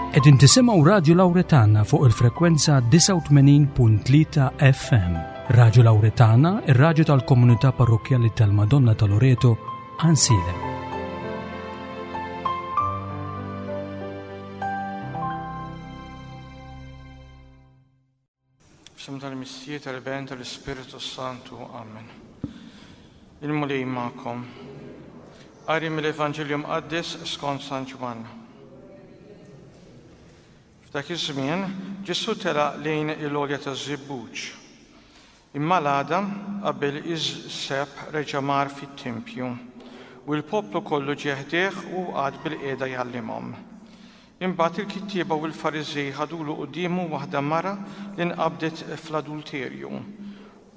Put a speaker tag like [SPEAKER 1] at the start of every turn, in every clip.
[SPEAKER 1] Qegħdin tisimgħu Radju Lawretana fuq il-frekwenza 89.3 FM. Radju Lawretana, ir-radju tal-komunità parrokkjali tal-Madonna ta' Loreto, Għansielem.
[SPEAKER 2] F'isem tal-Missier, tal-Iben, tal-Ispirtu Santu. Amen. Il-Mulej magħkom. Qari mill-Evanġelju Mqaddes skont San Ġwann. F'dak iż-żmien, Ġesù telaq lejn il-għolja taż-Żebbuġ. Imma l-għada, qabel iż-sebħ reġa' mar fit-tempju, u l-poplu kollu ġie ħdejh u qagħad bilqiegħda jgħallimhom. Imbagħad il-kittieba u l-Fariżej ħadulu quddiemu waħda mara li nqabdet fl-adulterju.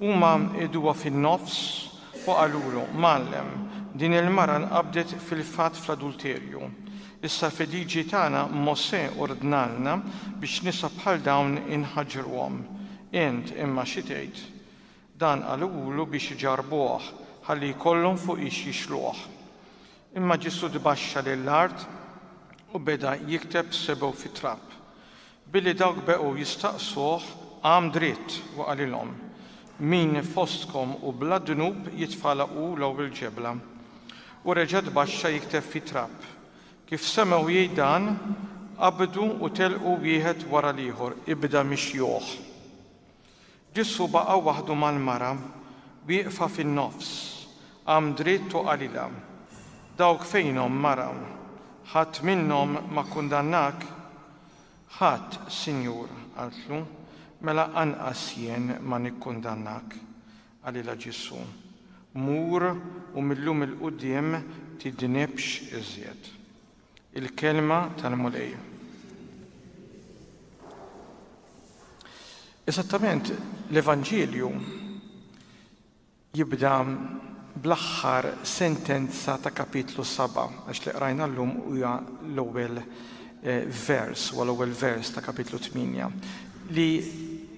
[SPEAKER 2] Huma qegħduha fin-nofs u qalulu, Mgħallem, din il-mara nqabdet fil-fatt fl-adulterju. Issa fil-liġi tagħna Mosè ordnalna biex nisa bħal dawn inħaġġruhom. Int imma xi tgħid? Dan qaluhulu biex iġarrbuh, ħalli jkollhom fuqiex jixluh. Imma Ġesù tbaxxa lill-art u beda jikteb b'sebgħu fit-trab. Billi dawk beqgħu jistaqsuh, qam dritt u qalilhom, Min fostkom hu bla dnub jitfagħla hu l-ewwel ġebla. U reġa' tbaxxa jikteb fit-trab. Kif semgħu jgħid dan, qabdu u telqu wieħed wara l-ieħor, ibda mix-xjuħ. Ġesù baqa' waħdu mal-mara, wieqfa fin-nofs. Qam dritt u qalilha, Dawk fejnhom, mara? Ħadd minnhom ma kkundannak? Ħadd, Sinjur, qaltlu, mela anqas jien ma nikkundannak. Qalilha Ġesù, Mur u mil-lum 'il quddiem tidnibx iżjed. Il-Kelma tal-Mulej. Eżattament l-Evanġelju jibda bl-aħħar sentenza ta' kapitlu 7, għax li qrajna llum huwa l-ewwel eh, vers, huwa l-ewwel vers ta' kapitlu 8, li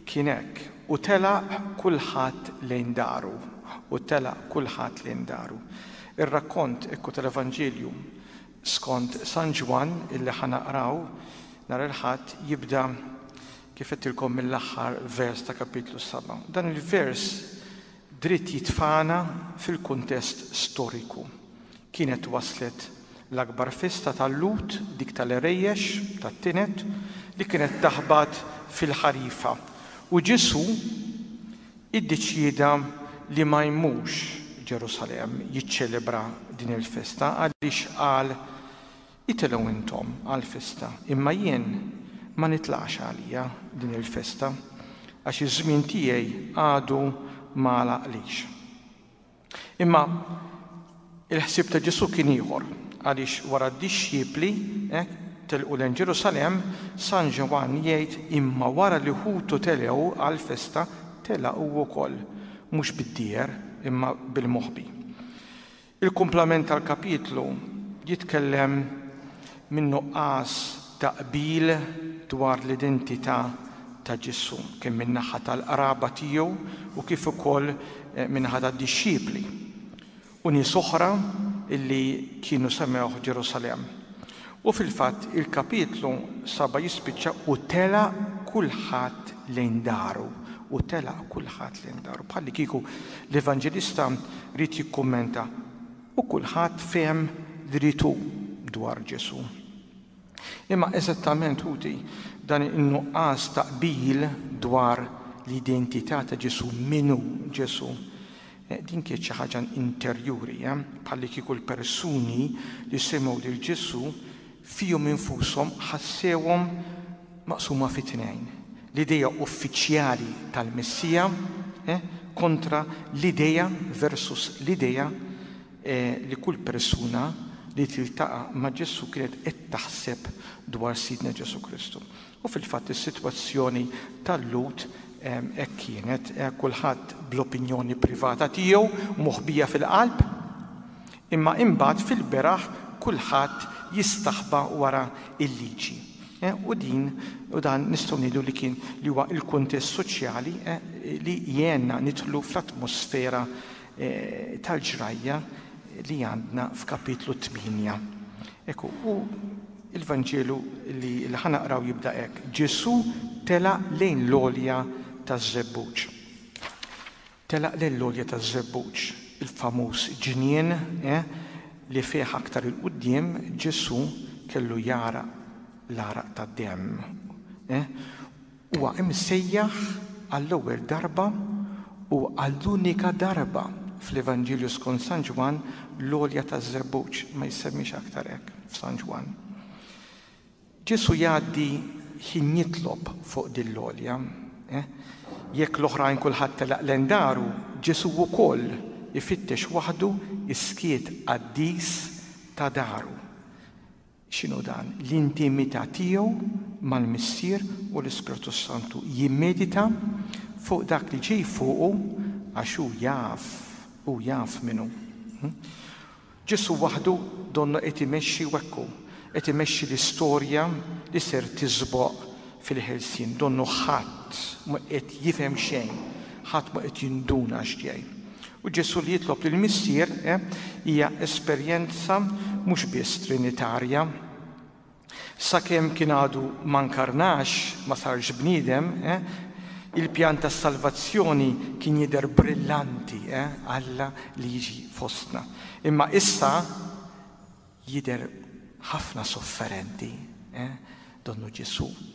[SPEAKER 2] kien hekk, u telaq kulħadd lejn daru, u telaq kulħadd lejn daru. Ir-rakkont ekku tal-Evanġelju Skont San Ġwann illi ħa naqraw nhar il-Ħadd jibda kif għedtilkom mill-aħħar vers ta' kapitlu 7. Dan il-vers dritt jitfagħna fil-kuntest storiku. Kienet waslet l-akbar festa tal-Lhud, dik tal-Għerejjex, tat-Tinet, li kienet taħbat fil-ħarifa. U Ġesù iddeċieda li ma jmurx Ġerusalemm jiċċelebra din il-festa għaliex qal, Itilgħu intom għall-festa, imma jien ma nitlax għalija din il-festa, għax iż-żmien tiegħi għadu ma għalaqlix. Imma il-ħsieb ta' Ġesù kien ieħor, għaliex wara d-dixxipli hekk telqu lejn Ġerusalemm, San Ġwann jgħid imma wara li ħutu telgħu għall-festa, telaq hu wkoll, mhux bid-dieher imma bil-moħbi. Il-kumplament tal-kapitlu jitkellem minn nuqqas ta' qbil dwar l-identità ta' Ġesù, kemm min-naħa tal-qraba tiegħu u kif ukoll min-naħa tad-dixxipli u nies oħra li kienu semgħuh Ġerusalemm. U fil-fatt il-kapitlu saba' jispiċċa u telaq kulħadd lejn daru, u telaq kulħadd lejn daru. Bħallikieku l-Evanġelista ried jikkummenta u kulħadd fehem li ried hu dwar Ġesù. Imma eżattament, ħuti, dan in-nuqqas ta' qbil dwar l-identità ta' Ġesù, min hu Ġesù, eh, din kienet xi ħaġa interjuri, eh? bħallikieku l-persuni li semgħu lil Ġesù fihom infushom ħassewhom maqsuma fi tnejn. L-idea uffiċjali tal-Messija eh, kontra l-idea versus l-idea li kull persuna li tiltaqa' ma' Ġesù kienet qed taħseb dwar Sidna Ġesù Kristu. U fil-fatt is-sitwazzjoni tal-Lhud hekk kienet, kulħadd bl-opinjoni privata tiegħu moħbija fil-qalb, imma imbagħad fil-beraħ kulħadd jistaħba wara l-liġi. U din u dan nistgħu ngħidu li kien li huwa l-kuntest soċjali li jgħinna nidħlu fl-atmosfera tal-ġrajja li għandna f'kapitlu 8. Ekku, u Il-Vanġelu li ħa naqraw jibda hekk. Ġesù telaq lejn l-għolja taż-Żebbuġ. Telaq lejn l-għolja taż-Żebbuġ, il-famuż ġnien eh, li fih aktar 'il quddiem Ġesù kellu jagħraq l-għaraq tad-demm. Eh, huwa imsejjaħ għall-ewwel darba u għall-unika darba fl-Evanġelju skont San Ġwann l-għolja taż-Żebbuġ, ma jissemmix aktar hekk f'San Ġwann. Ġesù jgħaddi ħin jitlob fuq din l-għolja. Eh? Jekk l-oħrajn kulħadd telaq lejn daru, Ġesù wkoll ifittex waħdu s-skiet qaddis ta' daru. X'inhu dan? L-intimità tiegħu mal-Missier u l-Ispirtu s-Santu. Jimmedita fuq dak li ġej fuqu għax hu jaf, hu jaf min hu. Hm? Ġesù waħdu donnu qed imexxi u hekk hu, qed imexxi l-istorja li ser tiżboq fil-ħelsien. Donnu ħadd mhu qed jifhem xejn, ħadd mhu qed jinduna x'ġej. U Ġesù li jitlob lill-Missier eh, hija esperjenza mhux biss trinitarja. Sakemm kien għadu ma nkarnax, ma sarx bniedem, eh, il-pjan tas-salvazzjoni kien jidher brillanti, eh, Alla li jiġi fostna. Imma issa jidher ħafna sofferenti, eh, donnu Ġesù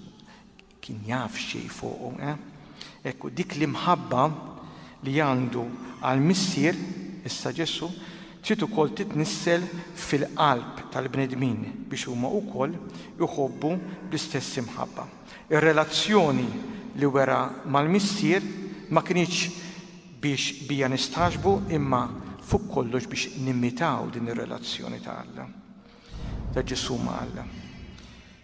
[SPEAKER 2] Kien jaf x'ġej fuqu, eh? Ekku, dik l-imħabba li għandu għall-Missier, issa Ġesù, trid ukoll titnissel fil-qalb tal-bnedmin biex huma wkoll iħobbu bl-istess imħabba. Ir-relazzjoni li wera mal-Missier ma kinitx biex bija nistagħġbu imma fuq kollox biex nimitaw din ir-relazzjoni ta' Alla, ta' Ġesù ma' Alla.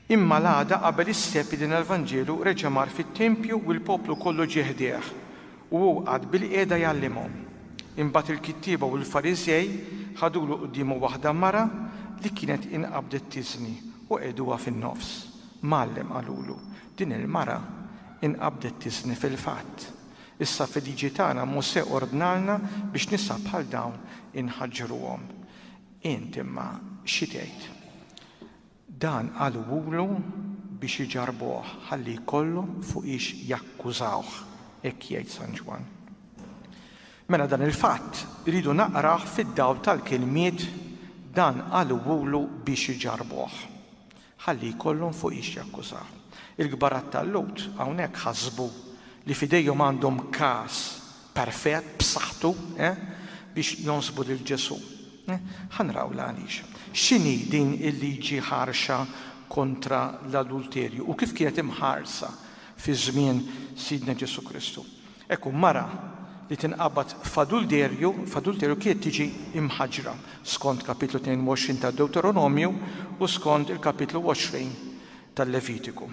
[SPEAKER 2] Imma l-għada qabel is-Sebt din l-Vanġelu reġa' mar fit-tempju u l-poplu kollu ġie ħdejh, u hu qagħad bilqiegħda jgħallimhom. Imbagħad il-kittieba u l-Fariżej ħadulu quddiemu waħda mara li kienet inqabdet tiżni u qegħduha fin-nofs. Mgħallem, qalulu, din il-mara inqabdet tiżni fil-fatt. Issa fil-liġi tagħna Mosè ordnalna biex nisa bħal dawn inħaġġruhom. Int imma xi tgħid? Dan qaluhulu biex iġarrbuh ħalli jkollhom fuqiex jakkużawh, hekk jgħid San Ġwann. Mela dan il-fatt irridu naqrah fid-dawl tal-kelmiet dan qaluhulu biex iġarrbuh, ħalli jkollhom fuqiex jakkużawh. Il-kbarat tal-Lhud hawnhekk ħasbu li f'idejhom għandhom każ perfett, b'saħħtu, eh, biex jonsbu lil Ġesù. Eh, ħa nraw l-għaliex. X'inhi din il-liġi ħarxa kontra l-adulterju u kif kienet imħarsa fi żmien Sidna Ġesù Kristu? Ekku, mara li tinqabad f'adulterju, f'adulterju kienet tiġi imħaġġra skont kapitlu 22 tad-Dewteronomju u skont il-kapitlu 20 tal-Levitiku.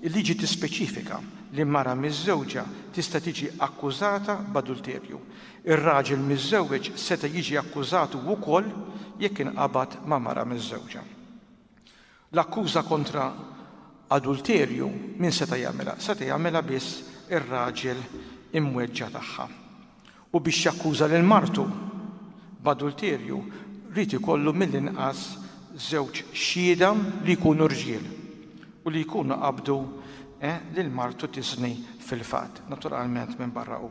[SPEAKER 2] Il-liġi tispeċifika li mara miżżewġa tista' tiġi akkużata b'adulterju. Ir-raġel miżżewweġ seta' jiġi akkużat hu wkoll jekk inqabad ma' mara miżżewġa. L-akkuża kontra adulterju min seta' jagħmilha? Seta' jagħmilha biss ir-raġel imweġġa' tagħha. U biex jakkuża lil martu b'adulterju ried ikollu mill-inqas żewġ xhieda li jkunu rġiel u li jkunu qabdu eh, lil martu tiżni fil-fatt, naturalment minbarra hu.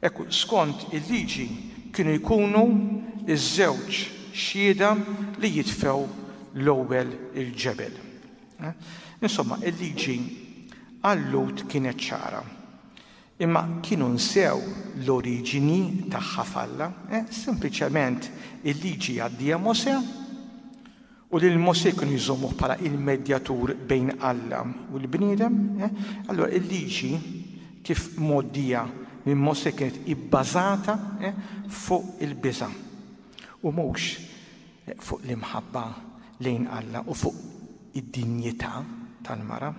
[SPEAKER 2] Ekku, skont il-liġi kienu jkunu ż-żewġ xhieda li jitfgħu l-ewwel il-ġebel. Eh? Insomma, il-liġi għal-Lhud kienet ċara. Imma kienu nsew l-oriġini tagħha f'Alla. Eh? Sempliċement il-liġi għaddieha Mosè u lil Mosè kienu jżommuh bħala il-medjatur bejn Alla u l-bniedem. Eh? Allura il-liġi kif mgħoddija minn Mosè kienet ibbażata eh, fuq il-biża' u mhux fuq l-imħabba lejn Alla u fuq id-dinjità tal-mara.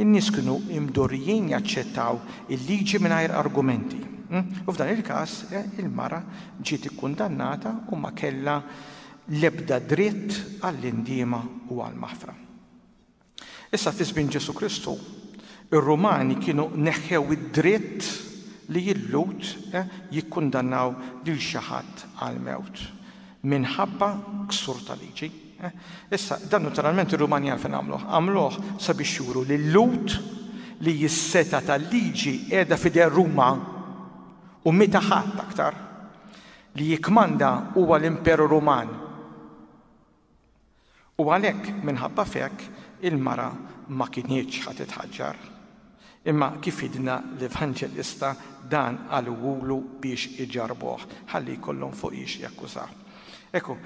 [SPEAKER 2] In-nies kienu imdorrijin jaċċettaw il-liġi mingħajr argumenti. Hmm? U f'dan il-każ eh, il-mara ġiet ikkundannata u ma kellha l-ebda dritt għall-indiema u għall-maħfra. Issa fi żmien Ġesù Kristu, ir-Rumani kienu neħħew id-dritt li l-Lhud eh, jikkundannaw lil xi ħadd għall-mewt minħabba ksur ta' liġi. Eh? Issa, dan naturalment ir-Rumani għalfejn għamluh. Għamluh sabiex juru li l-Lhud li s-setgħa tal-liġi qiegħda f'idejn Ruma u meta ħadd aktar li jikkmanda huwa l-Imperu Ruman. U għalhekk minħabba f'hekk il-mara ma kinitx ħa titħaġġar. Imma kif jgħidilna l-Evanġelista dan qaluhulu biex iġarrbuh, ħalli jkollhom fuqiex jakkużawh. Ekku,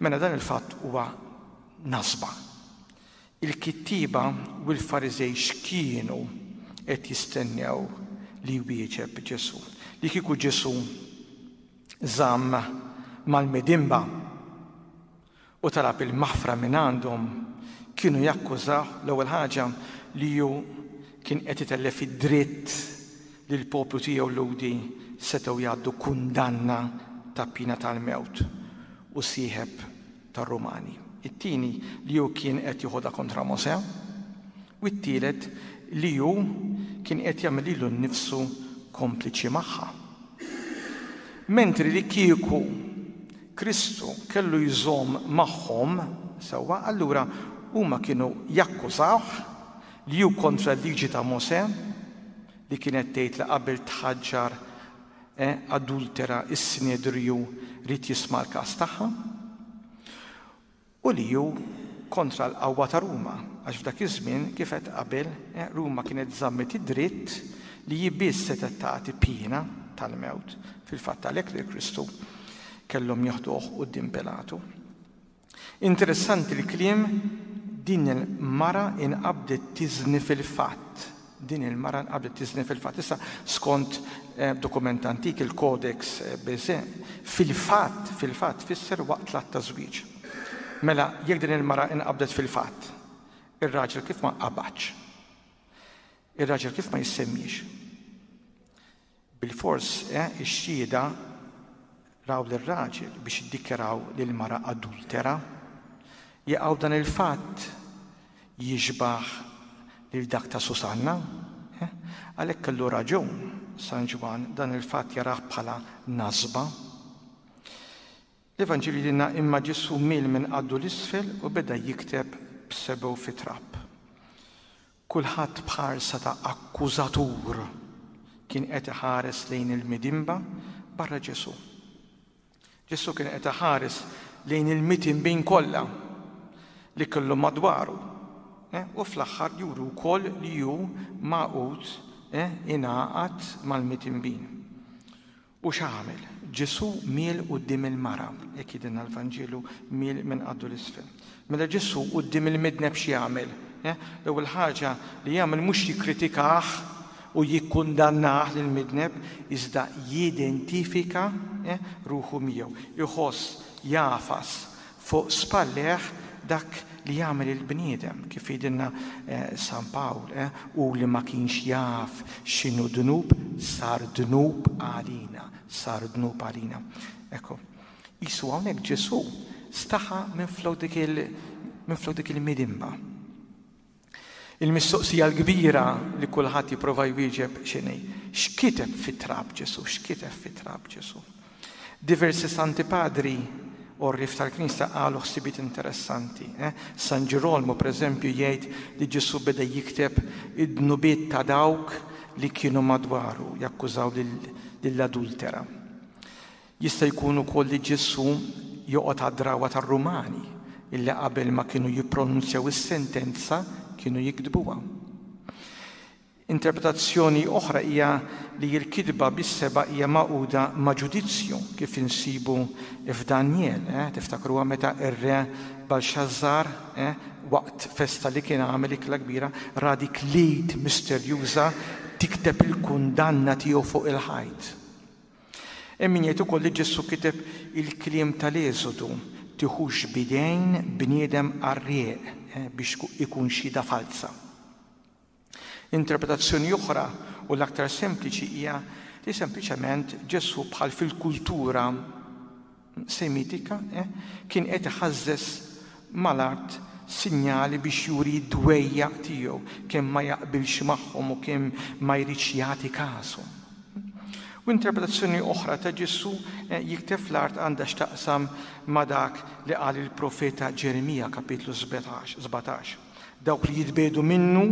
[SPEAKER 2] mela dan il-fatt huwa nasba. Il-kittieba u l-Fariżej x'kienu qed jistennew li jwieġeb Ġesù? Li kieku Ġesù żamm mal-midinba u talab il-maħfra mingħandhom, kienu jakkużawh l-ewwel ħaġa li hu kien qed itellef id-dritt li l-poplu tiegħu Lhudi setgħu jgħaddu kundanna ta' piena tal-mewt u sieħeb tar-Rumani. It-tieni li hu kien qed joħodha kontra Mosè u t-tielet li hu kien qed jagħmel lilu nnifsu kompliċi magħha. Mentri li kieku Kristu kellu jżomm magħhom, sewwa, allura huma kienu jakkużawh li hu kontra l-liġi ta' Mosè, li kienet tgħid li qabel tħaġġar adultera s-Sinedriju ried jisma' l-każ tagħha. U li hu kontra l-qawwa ta' Ruma, għax f'dak iż-żmien, kif għedt qabel, Ruma kienet żammet id-dritt li hi biss setgħet tagħti piena tal-mewt. Fil-fatt għalhekk lil Kristu kellhom jeħduh quddiem Pilatu. Interessanti l-kliem din il-mara inqabdet tiżni fil-fatt. Din il-mara nqabdet tiżni fil-fatt. Issa, skont dokument antik, il-Codex Bezae, fil-fatt, fil-fatt tfisser waqt l-att ta' żwieġ. Mela, jekk din il-mara nqabdet fil-fatt, ir-raġel kif ma nqabadx? Ir-raġel kif ma jissemmiex? Bilfors, ix-xhieda raw lir-raġel biex iddikjaraw lill-mara adultera. Jaqaw dan il-fatt jixbah lil dak ta' Susanna? Għalhekk kellu raġun San Ġwann dan il-fatt jarah bħala nasba. L-Evanġelju jgħidilna imma Ġesù miel minn qaddu 'l isfel u beda jikteb b'sebgħu fit-trab. Kulħadd b'ħarsa ta' akkużatur kien qed iħares lejn il-midinba barra Ġesù. Ġesù kien qed iħares lejn il-mitinbin kollha li kellu madwaru eh, u fl-aħħar juru wkoll li hu magħqud eh, ingħaqad mal-mitinbin. U x'għamel? Ġesù miel quddiem il-mara, hekk jgħidilna l-Vanġelu, miel minn qaddu 'l isfel. Mela Ġesù quddiem il-midneb x'jagħmel? Eh? L-ewwel ħaġa li jagħmel mhux jikkritikah u jikkundannah lill-midneb, iżda jidentifika eh, ruħu miegħu, iħoss, jagħfas Fuq spallejh dak li jagħmel il-bniedem, kif jgħidilna San Pawl, hu li ma kienx jaf x'inhu dnub, sar dnub għalina, sar dnub għalina. Ekku, qisu hawnhekk Ġesù staħa minflok dik il minflok dik il-midinba. Il-mistoqsija l-kbira li kulħadd jipprova jwieġeb x'inhi? X'kiteb fit-trab Ġesù? X'kiteb fit-trab Ġesù? Diversi Santi Padri għorrief tal-Knisja qalu ħsibiet interessanti. Eh? San Ġirolmu, pereżempju, jgħid li Ġesù beda jikteb id-dnubiet ta' dawk li kienu madwaru, jakkużaw lill-adultera. Jista' jkun ukoll li Ġesù joqgħod għad-drawwa tar-Rumani illi qabel ma kienu jippronunzjaw is-sentenza kienu jiktbuha. Interpretazzjoni oħra hija li l-kitba bis-seba' hija magħquda ma' ġudizzju kif insibu f'Danjel. Eh? Tiftakruha meta r-re Balxażżar eh, waqt festa li kien għamel ikla kbira ra dik l-id misterjuża tikteb il-kundanna tiegħu fuq il-ħajt. Hemm min jgħid ukoll li Ġesù kiteb il-kliem tal-Eżodu, Tiħux b'idejn bniedem qarrieq biex ikun xhieda falza. Interpretazzjoni oħra u l-aktar sempliċi hija li sempliċement Ġesù bħal fil-kultura Semitika kien qed iħażżeż mal-art sinjali biex juri d-dwejjaq tiegħu, kemm ma jaqbilx magħhom u kemm ma jridx jagħti kashom. U interpretazzjoni oħra ta' Ġesù eh, jikteb fl-art għandha x'taqsam ma' dak li qal il-profeta Ġeremija kapitlu 17. Dawk li jitbedu minnu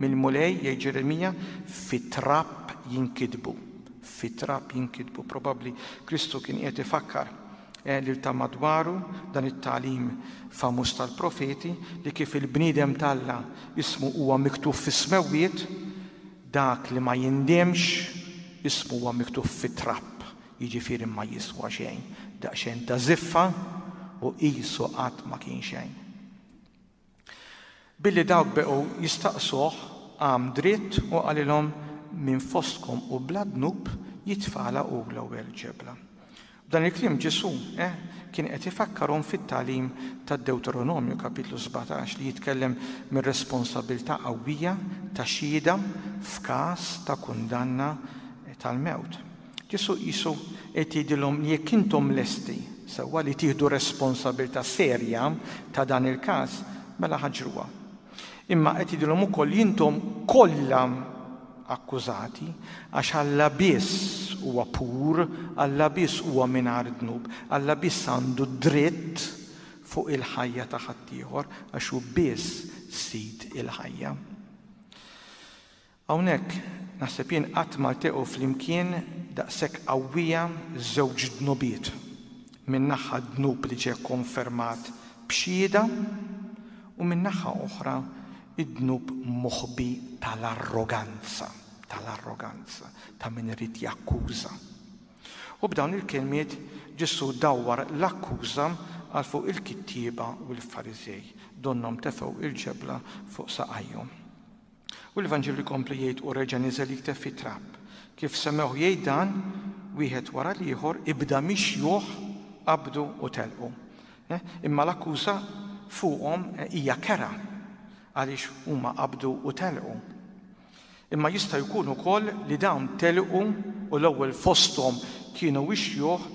[SPEAKER 2] mill-Mulej jgħid Ġeremija fit-trab jinkitbu. Fit-trab jinkitbu. Probabbli Kristu kien qiegħed ifakkar eh, lil ta' madwaru dan it-tagħlim famuż tal-profeti li kif il-bniedem t'Alla ismu huwa miktub fis-smewwiet Dak li ma jindimx, ismu huwa miktub fit-trab, jiġifieri ma jiswa xejn, daqsxejn ta' żiffa u qisu qatt ma kien xejn. Billi dawk beqgħu jistaqsuh, qam dritt u qalilhom, Min fostkom hu bla dnub, jitfagħalha hu l-ewwel ġebla. B'dan il-kliem Ġesù, eh, kien qed ifakkarhom fit-tagħlim tad-Dewteronomju kapitlu 17 li jitkellem mir-responsabbiltà qawwija ta' xhieda f'każ ta' kundanna tal-mewt. Ġesù qisu qed jgħidilhom li jekk intom lesti sewwa li tieħdu responsabbiltà serja ta' dan il-każ, mela ħaġruha. Imma qed jgħidilhom ukoll li intom kollha akkużati għax Alla biss huwa pur, Alla biss huwa mingħajr dnub, Alla biss għandu dritt fuq il-ħajja ta' ħaddieħor għax hu biss sid il-ħajja. Hawnhekk naħseb jien qatt ma lteqgħu flimkien daqshekk qawwija żewġ dnubiet. Minn naħa dnub li ġie kkonfermat b'xhieda u minn naħa oħra id-dnub moħbi tal-arroganza, tal-arroganza ta' min irid jakkuża. U b'dawn il-kelmiet Ġesù dawwar l-akkuża għal fuq il-kittieba u l-Fariżej, donnhom tefgħu il-ġebla fuq saqajhom. U l-Evanġelju jkompli jgħid u reġa' niżel jikteb fit-trab. Kif semgħuh jgħid dan, wieħed wara l-ieħor ibda mix-xjuħ qabdu u telqu. Eh, imma l-akkuża fuqhom eh, hija kera għaliex huma qabdu u telqu. Imma jista' jkun ukoll li dawn telqu u l-ewwel fosthom kienu ix-xjuħ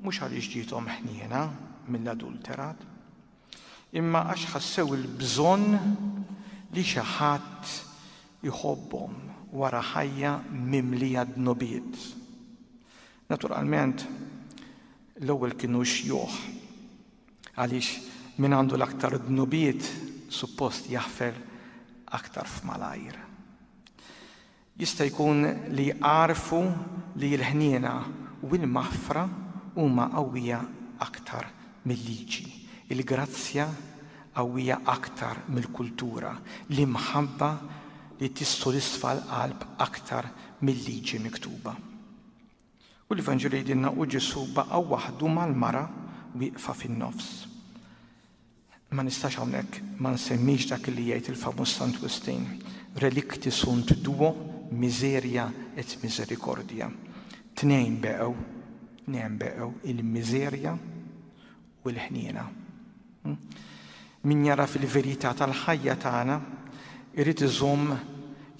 [SPEAKER 2] mhux għaliex ġiethom ħniena mill-adulterat, imma għax ħassew il-bżonn li xi ħadd iħobbhom wara ħajja mimlija dnubiet. Naturalment, l-ewwel kienu xjuħ għaliex min għandu l-aktar dnubiet suppost jaħfer aktar f'malajr. Jista' jkun li għarfu li l-ħniena u l-maħfra huma qawwija aktar mil-liġi, il-grazzja qawwija aktar mill-kultura, l-imħabba li tissodisfa l-qalb aktar mil-liġi miktuba. U l-Vanġelu jgħidilna u Ġesù baqa' waħdu mal-mara wieqfa fin-nofs. Ma nistax hawnhekk ma nsemmix dak li jgħid il-famuż Sant Wistin, relicti sunt duo miseria et misericordia. Tnejn beqgħu, tnejn beqgħu il-miżerja u l-ħniena. Hmm? Min jara fil-verità tal-ħajja tagħna irid iżomm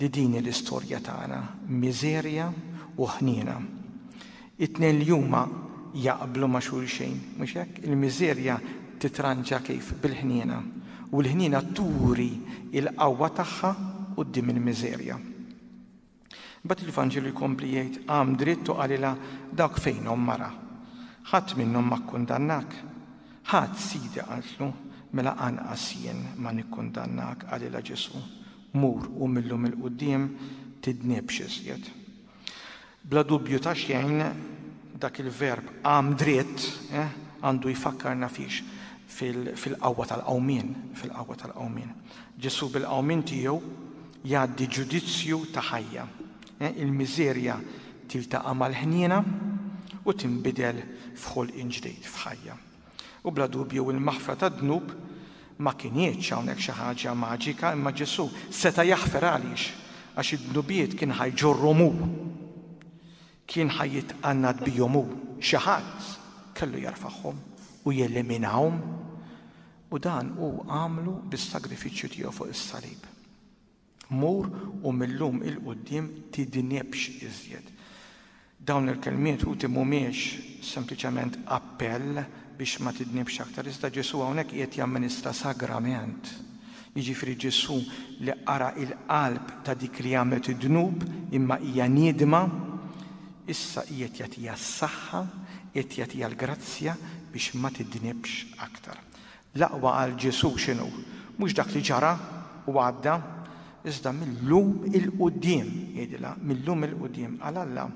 [SPEAKER 2] li din l-istorja tagħna, miżerja u ħniena. It-tnejn li huma jaqblu ma' xulxejn, mhux hekk? Il-miżerja titranġa kif? Bil-ħniena. U l-ħniena turi il-qawwa tagħha quddiem il-miżerja. Imbagħad il-Vanġelu jkompli jgħid, qam dritt u qalilha, dawk fejnhom mara? Ħadd minnhom ma kkundannak? Ħadd, Sidi, qaltlu, mela anqas jien ma nikkundannak, qalilha Ġesù. Mur u mil-lum 'il quddiem tidnibx iżjed. Bla dubju ta' xejn dak il-verb qam dritt eh, għandu jfakkarna fiex fil-qawwa tal-qawmien, fil-qawwa tal-qawmien. Ġesù bil-qawmien tiegħu jgħaddi ġudizzju ta' ħajja. Eh, il-miżerja tiltaqa' mal-ħniena u tinbidel f'ħolqien ġdid f'ħajja. U bla dubju il-maħfra tad-dnub ma kinitx hawnhekk xi ħaġa maġika imma Ġesù seta' jaħfer għaliex għax id-dnubiet kien ħa jġorrhom hu. Kien ħa jitqannad bihom hu. Xi ħadd kellu jerfagħhom u jeliminahom u dan hu għamlu bis-sagrifiċċju tiegħu fuq is-salib. Mur u mil-lum 'il quddiem tidnibx iżjed. Dawn il-kelmiet ħuti mhumiex sempliċement appell biex ma tidnibx aktar, iżda Ġesù hawnhekk qiegħed jamministra sagrament. Jiġifieri Ġesù li qara il-qalb ta' dik li għamlet id-dnub imma hija niedma, Issa qiegħed jagħtiha s-saħħa, qiegħed jagħtiha l-grazzja biex ma tidnibx aktar. L-aqwa għal Ġesù x'inhu? Mhux dak li ġara u għadda, iżda mil-lum 'il quddiem, jgħidilha, mil-lum 'il quddiem. Għal Alla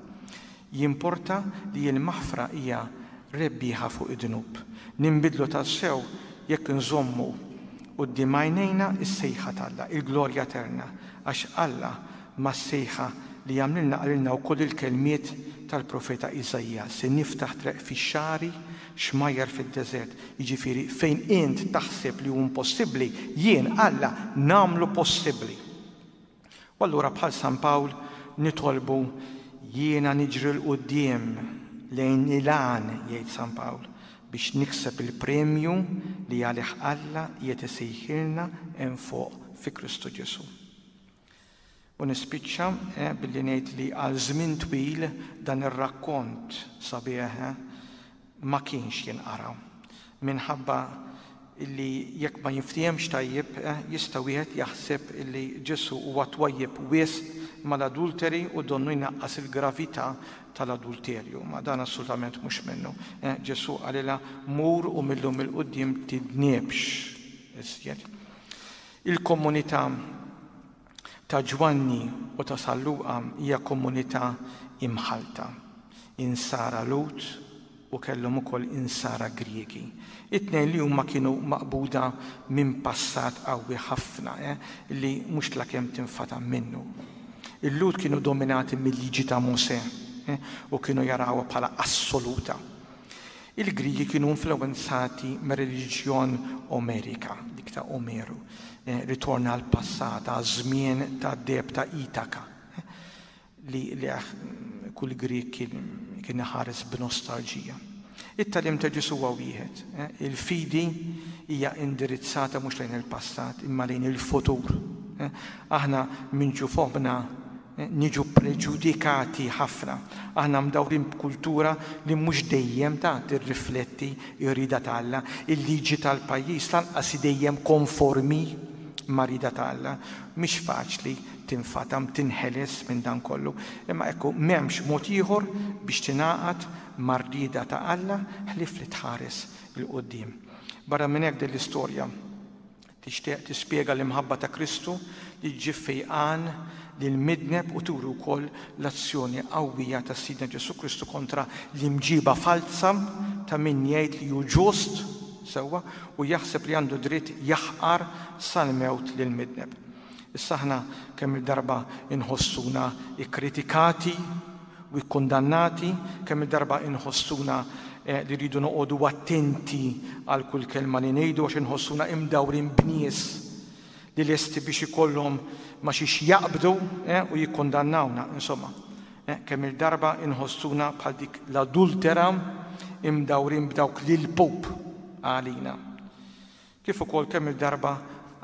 [SPEAKER 2] jimporta li l-maħfra hija rebbieħa fuq id-dnub. Ninbidlu tassew jekk inżommu quddiem għajnejna s-sejħa t'Alla, il-glorja eterna, għax Alla mas-sejħa li għamlilna qalilna wkoll il-kelmiet tal-profeta Iżaija, Se niftaħ treq fix-xagħri, xmajjar fid-deżert. Jiġifieri, fejn int taħseb li hu impossibbli, jien, Alla, nagħmlu possibbli. U allura bħal San Pawl nitolbu, Jiena niġri 'l quddiem lejn il-għan, jgħid San Pawl, biex nikseb il-premju li għalih Alla qiegħed isejħilna hemm fuq fi Kristu Ġesù. U nispiċċa eh, billi ngħid li għal żmien twil dan ir-rakkont sabiħ eh, ma kienx jinqara. Minħabba illi jekk ma jinftihemx tajjeb eh, jista' wieħed jaħseb illi Ġesù huwa twajjeb wisq mal-adulteri u donnu jnaqqas il-gravità tal-adulterju. Ma dan assolutament mhux minnu. Eh, Ġesù qalilha mur u millum il-quddiem tidniebx iżjed. Il-komunità ta' Ġwanni u ta' San Luqa hija komunità imħallta, Insara Lhud u kellhom ukoll Insara Griegi. It-tnejn li huma kienu maqbuda minn passat qawwi ħafna li mhux lakemm tinfatam minnu. Il-Lhud kienu dominati mil-Liġi ta' Mosè u kienu jarawha bħala assoluta. Il-Griegi kienu influwenzati mir-reliġjon Omerika, dik ta' Omeru, ritorn għall-passat, għaż-żmien tad-deheb ta' Itaka, li lejh kull Grieg kien iħares b'nostalġija. It-tagħlim ta' Ġesù huwa wieħed. Il-fidi hija indirizzata mhux lejn il-passat imma lejn il-futur. Aħna minn ġu foħħna Niġu preġudikati ħafna. Aħna mdawrin b'kultura li mhux dejjem ta' tirrifletti r-rieda ta' Alla. Il-liġi tal-pajjiż lanqas hi dejjem konformi mar-rieda ta' Alla. Mhix faċli tinfatam, tinħeles minn dan kollu. Imma ekku, m'hemmx mod ieħor biex tingħaqad mar-rieda ta' Alla ħlief li tħares 'il quddiem. Barra minn hekk din l-istorja Tixtieq tispjega l-imħabba ta' Kristu li ġġib fejqan lill-midneb u turi wkoll l-azzjoni qawwija ta' Sidna Ġesù Kristu kontra l-imġiba falza ta' min jgħid li hu ġust sewwa u jaħseb li għandu dritt jaħqar sal-mewt lill-midneb. Issa aħna kemm-il darba inħossuna kkritikati u kkundannati, kemm-il darba inħossuna li rridu noqogħdu attenti għal kull kelma li ngħidu għax inħossuna imdawrin b'nies li lesti biex ikollhom ma xiex jaqbdu u jikkundannawna. Insomma, kemm-il darba inħossuna bħal dik l-adultera imdawrin b'dawk l-ilpup għalina. Kif ukoll kemm-il darba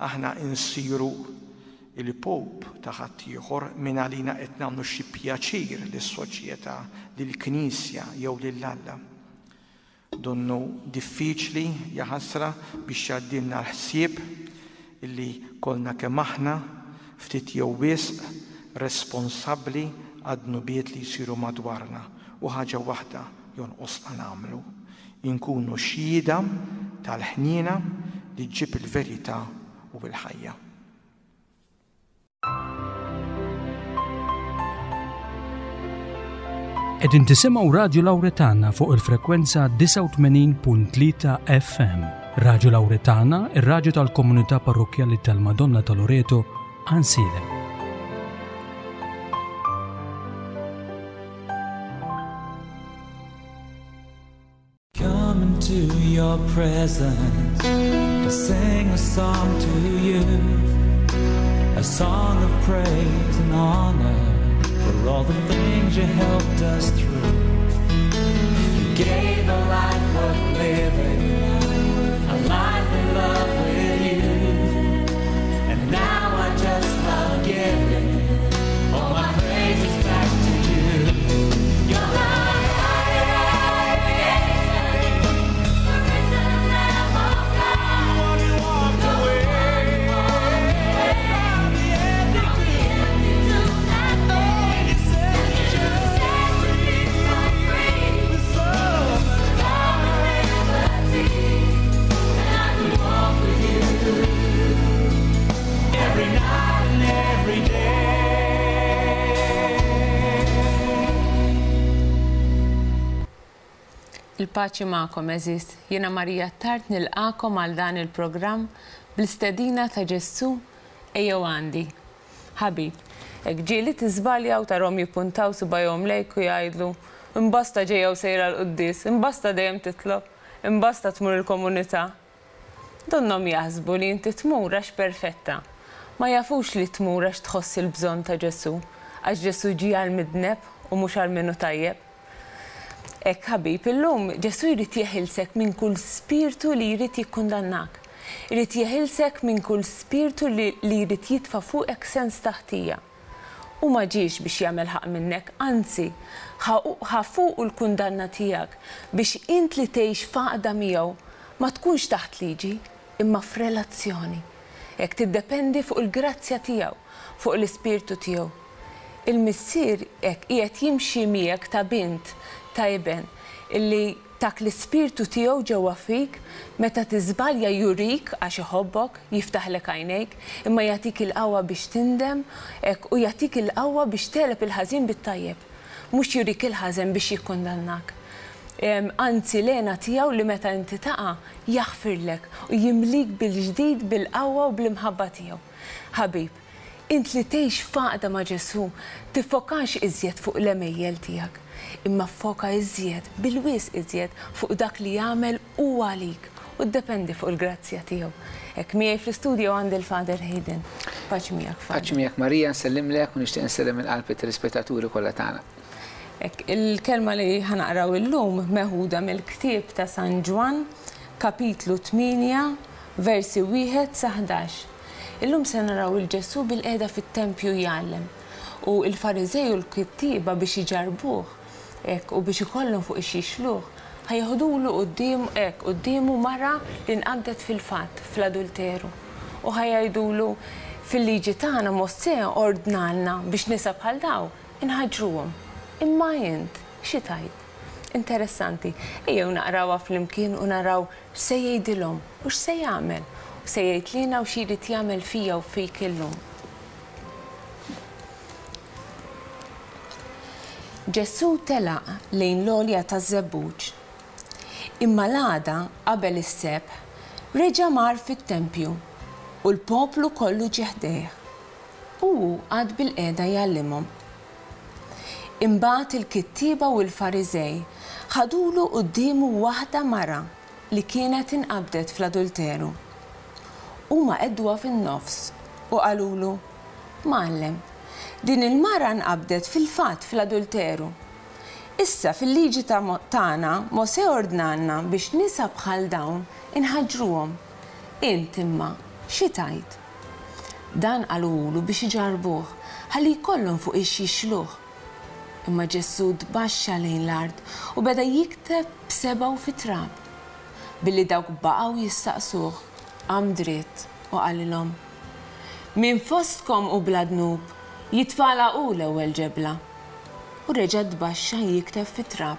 [SPEAKER 2] aħna insiru il-Pope ta' ħaddieħor mingħalina qed nagħmlu xi pjaċir lis-soċjetà, lill-Knisja jew lil Alla. Donnu diffiċli, jaħasra, biex jgħaddilna l-ħsieb illi kollna kemm aħna, ftit jew wisq, responsabbli għad-dnubiet li jsiru madwarna u ħaġa waħda jonqosna nagħmlu, Inkunu xhieda tal-ħniena li ġġib il-verità u l-ħajja.
[SPEAKER 1] Qegħdin tisimgħu Radju Lawretana fuq il-frekwenza 89.3 FM. Radju Lawretana, ir-radju tal-komunità parrokkjali tal-Madonna ta' Loreto, Għansielem. Come into your presence to sing a song to you, a song of praise and honor for all the things you helped us through. You gave a life worth living, a life in love with you, and now I just love giving all my praises back to you. You're the
[SPEAKER 3] Il-paċi magħkom għeżież, jiena Marija Attard nilqagħkom għal dan il-programm bl-istedina ta' Ġesù Ejjew għandi. Ħabib, hekk ġieli tiżbalja u tarhom jippuntaw subgħajhom lejk u jgħidlu, Imbasta ġejja u sejra l-quddies, imbasta dejjem titlob, imbasta tmur il-komunità. Donnhom jaħsbu li inti tmur għax perfetta. Ma jafux li tmur għax tħoss il-bżonn ta' Ġesù, għax Ġesù ġie għall-midneb u mhux għal min hu tajjeb. Hekk ħabib, illum Ġesù jrid jeħilsek minn kull spirtu li jrid jikkundannak. Irid jeħilsek minn kull spirtu li li jrid jitfa' fuqek sens ta' ħtija. Hu ma ġiex biex jagħmel ħaqq minnek, anzi, ħa ħa fuqu l-kundanna tiegħek biex int li tgħix f'għaqda miegħu ma tkunx taħt liġi, imma f'relazzjoni. Hekk tiddependi fuq il-grazzja tiegħu, fuq l-Ispirtu tiegħu. Il-Missier hekk qiegħed jimxi miegħek ta' bint, ta' iben, illi tak l-Ispirtu tiegħu ġewwa fik, meta tiżbalja jurik għax iħobbok, jiftaħlek għajnejk, imma jagħtik il-qawwa biex tindem, hekk, u jagħtik il-qawwa biex tegħleb il-ħażin bit-tajjeb. Mhux jurik il-ħażen biex jikkundannak. Anzi l-hena tiegħu li meta inti taqa', jaħfirlek u jimlik bil-ġdid bil-qawwa u bl-imħabba tiegħu. Ħabib, int li tgħix f'għaqda ma' Ġesù, tiffokax iżjed fuq l-għemejjel tiegħek, imma ffoka iżjed, bil-wisq iżjed, fuq dak li jagħmel hu għalik u ddependi fuq il-grazzja tiegħu. Hekk miegħi fl-istudio għandi l-Father Hayden. Paċi miegħek, Father.
[SPEAKER 4] Paċi miegħek Marija, nsellimlek u nixtieq insellem minn qalbi t-telespettaturi kollha tagħna.
[SPEAKER 3] Hekk, il-kelma li ħa naqraw illum meħuda mill-ktieb ta' San Ġwann, kapitlu 8, versi wieħed sa 11. Illum se naraw 'il Ġesù bilqiegħda fit-tempju jgħallem, u l-Fariżej u l-kittieba biex iġarrbuh, hekk, u biex ikollhom fuq ix jixluh, ħa jeħdulu quddiem, hekk, quddiemu mara li nqabdet fil-fatt, fl-adulteru. U ħa jgħidulu, Fil-liġi tagħna Mosè ordnalna biex nisa bħal dawn inħaġġruhom. Imma int xi tgħid? Interessanti. Ejjew naqrawha flimkien u naraw X'se jgħidilhom u x'se jagħmel? U se jgħid lilna u xi jrid jagħmel fija u fik illum. Ġesù telaq lejn l-għolja taż-Żebbuġ. Imma l-għada, qabel is-sebħ, reġa' mar fit-tempju, u l-poplu kollu ġie ħdejh. U hu qagħad bilqiegħda jgħallimhom. Imbagħad il-kittieba u l-Fariżej ħadulu quddiemu waħda mara li kienet inqabdet fl-adulteru. Huma qegħduha fin-nofs u qalulu, Mgħallem, din il-mara nqabdet fil-fatt fl-adulteru. Issa fil-liġi tagħna Mosè ordnalna biex nisa bħal dawn inħaġġruhom. Int, imma, xi tgħid? Dan qaluhulu biex iġarrbuh, ħalli jkollhom fuq ix jixluh. Imma Ġesù tbaxxa lejn l-art u beda jikteb b'sebgħu fit-trab. Billi dawk baqgħu jistaqsuh, qam dritt u qalilhom, Min fostkom hu bla dnub, jitfagħalha hu l-ewwel ġebla. U reġa' tbaxxa jikteb fit-trab.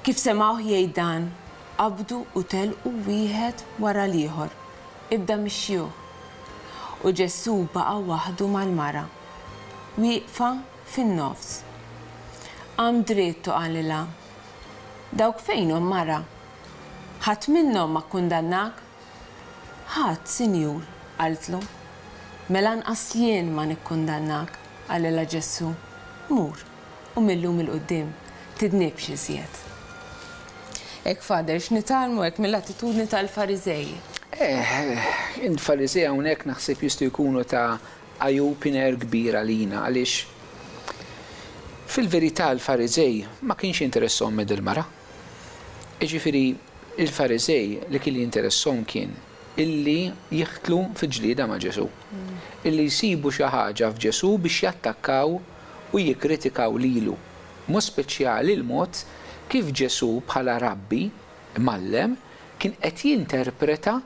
[SPEAKER 3] Kif semgħuh jgħid dan, qabdu u telqu wieħed wara l-ieħor. Ibda mix-xjuħ. U Ġesù baqa' waħdu mal-mara, wieqfa fin-nofs. Qam dritt u qalilha, Dawk fejnhom, mara? Ħadd minnhom ma kkundannak? Ħadd, Sinjur, qaltlu. Mela anqas jien ma nikkundannak, qalilha Ġesù. Mur. U mil-lum 'il quddiem tidnibx iżjed. Hekk, Father, x'nitgħallmu hekk mill-attitudni tal-Fariżej?
[SPEAKER 4] Eh, il-Fariżej hawnhekk naħseb jistgħu jkunu ta' eye-opener kbir għalina għaliex fil-verità l-Fariżej ma kienx jinteressahom minn dil-mara. Jiġifieri il-Fariżej li kien jinteressahom kien illi jidħlu fi ġlieda ma' Ġesù, illi jsibu xi ħaġa f'Ġesù biex jattakkaw u jikkritikaw lilu, b'mod speċjali l-mod kif Ġesù bħala rabbi, mgħallem, kien qed jinterpreta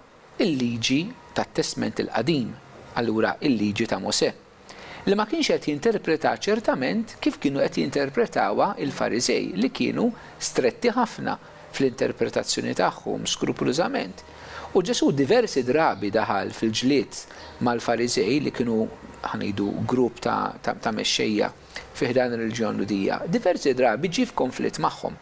[SPEAKER 4] l-liġi tat-Testment il-Qadim, allura l-liġi ta' Mosè. Li ma kienx qed jinterpretaha ċertament kif kienu qed jinterpretawha l-Fariżej li kienu stretti ħafna fl-interpretazzjoni tagħhom skrupulużament. U Ġesù diversi drabi daħal fil-ġlied mal-Fariżej li kienu, ħa ngħidu, grupp ta' ta' mexxejja fi ħdan ir-reliġjon Lhudija. Diversi drabi ġie f'konflitt magħhom.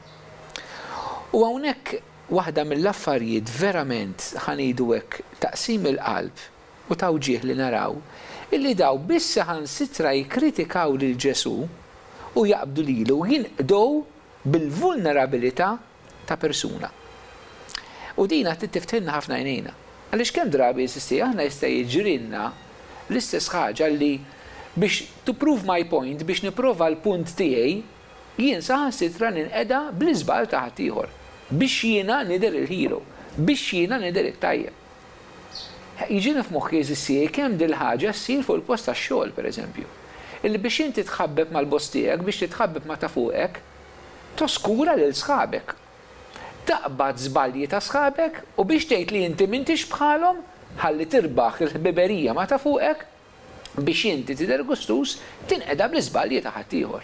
[SPEAKER 4] U hawnhekk waħda mill-affarijiet verament, ħa ngħidu hekk, ta' qsim il-qalb u ta' wġigħ li naraw, illi daw biss saħansitra jikkritikaw lil Ġesù u jaqbdu lilu u jinqdew bil-vulnerabilità ta' persuna. U din għad trid tiftħilna ħafna għajnejna. Għaliex kemm drabi jeżisti aħna jista' jiġrilna l-istess ħaġa li biex to prove my point, biex nipprova l-punt tiegħi, jien saħansitra ninqeda bl-iżball ta' ħaddieħor. Biex jiena nidher il-hero. Biex jiena nidher it-tajjeb. Jiġini f'moħħi għeżież tiegħi kemm dil-ħaġa ssir fuq il-post tax-xogħol, pereżempju. Illi biex inti tħabbeb mal-boss tiegħek, biex titħabbeb ma' ta' fuqek, toskura lil sħabek. Taqbad żbalji ta' sħabek u biex tgħid li inti m'intix bħalhom, ħalli tirbaħ il-ħbiberija ma' ta' fuqek, biex inti tidher gustuż, tinqeda bl-iżbalji ta' ħaddieħor.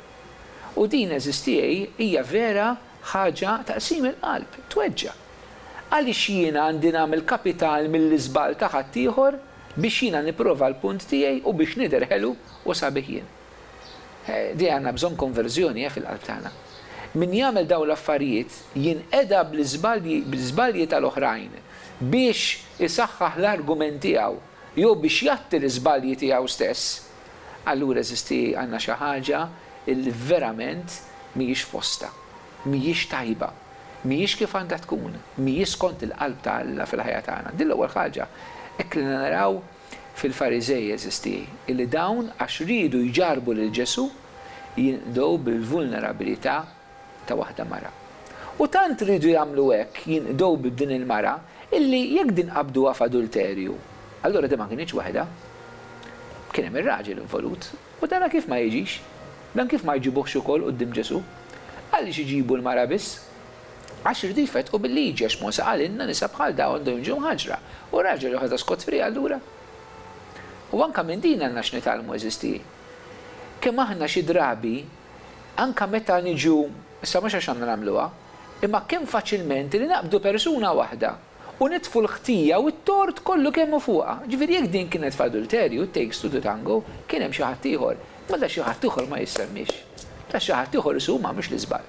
[SPEAKER 4] U din, għeżież tiegħi, hija vera ħaġa ta' qsim il-qalb, tweġġa'. Għaliex jiena għandi nagħmel kapital mill-iżball ta' ħaddieħor biex jiena nipprova l-punt tiegħi u biex nidher ħelu u sabiħ jien? Di għandna bżonn konverżjoni, eh, fil-qalb tagħna. Min jagħmel dawn l-affarijiet jinqeda bl-iżbalji bl-iżbalji tal-oħrajn biex isaħħaħ l-argument tiegħu jew biex jgħatti l-iżbalji tiegħu stess, allura għeżież tiegħi għandna xi ħaġa illi verament mhijiex f'postha, mhijiex tajba, mhijiex kif għandha tkun, mhijiex skont il-qalb ta' Alla fil-ħajja tagħna. Din l-ewwel ħaġa hekk li naraw fil-Fariżej, għeżież tiegħi, illi dawn għax riedu jġarrbu lil Ġesù jinqdew bil-vulnerabilità ta' waħda mara. U tant riedu jagħmlu hekk, jinqdew b'din il-mara, illi jekk din qabduha f'adulterju, allura din ma kinitx waħedha. Kien hemm ir-raġel involut. U dana kif ma jiġix? Dan kif ma jġibuhx ukoll quddiem Ġesù? Għaliex iġibu l-mara biss? Għax iridu jfettqu bil-liġi, għax Mosè qalilna nisa bħal dawn għandhom jiġu mħaġġra. U r-raġel joħodha scot free allura? U anke minn din għandna x'nitgħallmu għeżież tiegħi. Kemm aħna xi drabi, anke meta niġu, issa mhux għax għandna nagħmluha, imma kemm faċilment li naqbdu persuna waħda u nitfu l-ħtija u t-tort kollu kemm hu fuqha. Ġifieri jekk din kienet f'adulterju, it takes two to tango, kien hemm xi ħadd ieħor. Imma da xi ħadd ieħor ma jissemmiex. Da xi ħadd ieħor isu hu m'għamilx l-iżball.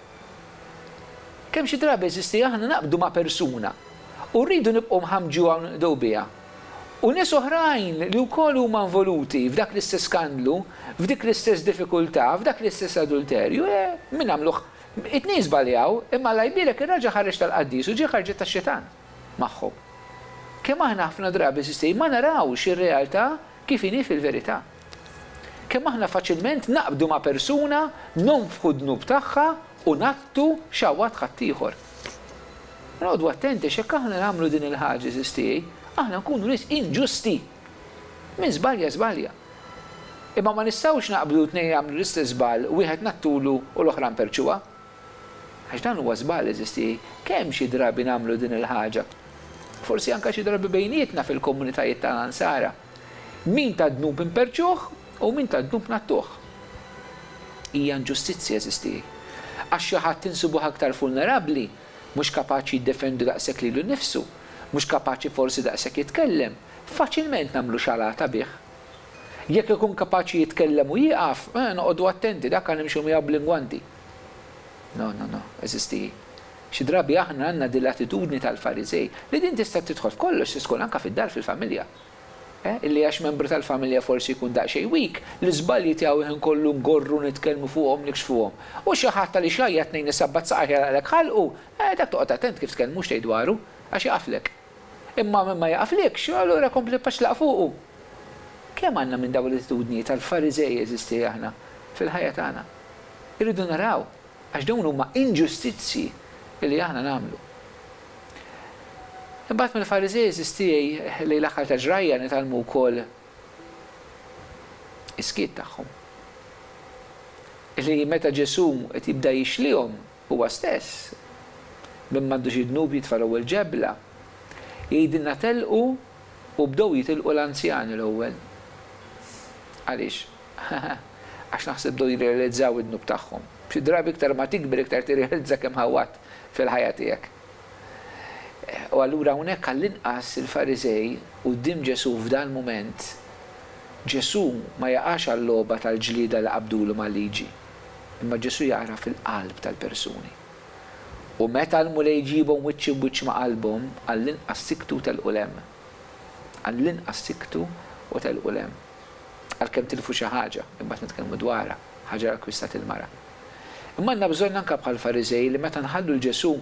[SPEAKER 4] Kemm xi drabi eżisti aħna naqbdu ma' persuna u rridu nibqgħu nħammġuha u ninqdew biha. U nies oħrajn li wkoll huma involuti f'dak l-istess skandlu, f'dik l-istess diffikultà, f'dak l-istess adulterju, eh, min għamluh? It-tnejn żbaljaw, imma Alla jbierek ir-raġel ħareġ tal-qaddis u ġie ħarġet tax-xitan magħhom. Kemm aħna ħafna drabi eżisti ma narawx ir-realtà kif inhi fil-verità. Kemm aħna faċilment naqbdu ma' persuna, nonfħu d-dnub tagħha u ngħattu xawat ħaddieħor. Noqogħdu attenti għax jekk aħna nagħmlu din il-ħaġa, għeżież tiegħi, aħna nkunu nies inġusti. Min żbalja żbalja. Imma ma nistgħux naqbdu tnejn jagħmlu l-istess żball, wieħed ngħattulu u l-oħra nperrċuha. Għax dan huwa żball, għeżież tiegħi. Kemm xi drabi nagħmlu din il-ħaġa? Forsi anke xi drabi bejnietna fil-komunitajiet tagħna Nsara. Min ta dnub inperrċuh u min ta dnub ngħattuh. Hija inġustizzja, għeżież tiegħi. Għax xi ħadd insibuh aktar vulnerabbli, mhux kapaċi jiddefendi daqshekk lilu nnifsu, mhux kapaċi forsi daqshekk jitkellem, faċilment nagħmlu xalata bih. Jekk ikun kapaċi jitkellem u jieqaf, eh, noqogħdu attenti, dak nimxu miegħu bl-ingwanti. No, no, no, għeżież tiegħi. Xi drabi aħna għandna din l-attitudni tal-Fariżej, li din tista' tidħol f'kollox, tista' tkun anke fid-dar, fil-familja. Eh, illi għax membru tal-familja forsi jkun daqsxejn weak, l-iżbalji tiegħu il-ħin kollu ngorru nitkellmu fuqhom, nikxfuhom. U xi ħadd għaliex jgħajjat tnejn isabbat saqajh jagħlaqlek ħalqu, eh, dak toqgħod attent kif tkellmu x'tgħid dwaru, għax jaqaflek. Imma min ma jaqaflikx, allura kompli paċlaq fuqu. Kemm għandna minn dawn l-attitudnijiet tal-Fariżej għeżież tiegħi aħna fil-ħajja tagħna? Irridu naraw, għax dawn huma inġustizzji li aħna nagħmlu. Imbagħad mill-Fariżej għeżież tiegħi lejn l-aħħar ta' ġrajja nitgħallmu wkoll is-skiet tagħhom. Li meta Ġesù qed jibda jixlihom huwa stess, min m'għandux id-dnub jitfa' l-ewwel ġebla, jgħidilna telqu u bdew jitilqu l-anzjani l-ewwel. Għaliex? Għax naħseb bdew jirrealizzaw id-dnub tagħhom. Xi drabi iktar ma tikber iktar tirrealizza kemm ħawwadt fil-ħajja tiegħek. U allura hawnhekk għall-inqas il-Fariżej quddiem Ġesù f'dal-mument, Ġesù ma jaqax għal-logħba tal-ġlieda li qabdulu mal-liġi, imma Ġesù jagħraf il-qalb tal-persuni. U meta l-Mulej jġibhom wiċċ imb'wiċċ ma' qalbhom, għall-inqas siktu u telqu 'l hemm. Għall-inqas siktu u telqu 'l hemm. Għalkemm tilfu xi ħaġa, imbagħad nitkellmu dwarha, ħaġa li akkwistat il-mara. Imma għandna bżonn anke bħall-Fariżej li meta nħallu 'l Ġesù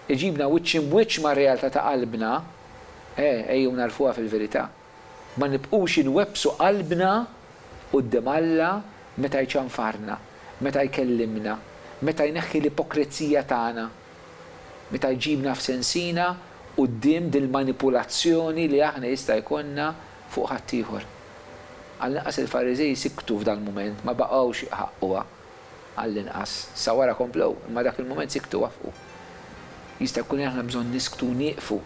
[SPEAKER 4] iġibna wiċċ imb'wiċċ mar-realtà ta' qalbna, eh, ejjew nagħrfuha fil-verità. Ma nibqgħux inwebbsu qalbna quddiem Alla meta jċanfarna, meta jkellimna, meta jneħħi l-ipokrezija tagħna, meta jġibna f'sensina quddiem dil-manipulazzjoni li aħna jista' jkollna fuq ħaddieħor. Għall-inqas il-Fariżej siktu f'dal-mument, ma baqgħux iħaqquha. Għall-inqas. Sa wara komplew, imma dak il-mument siktu wafqu. Jista' jkun li aħna bżonn nisktu u nieqfu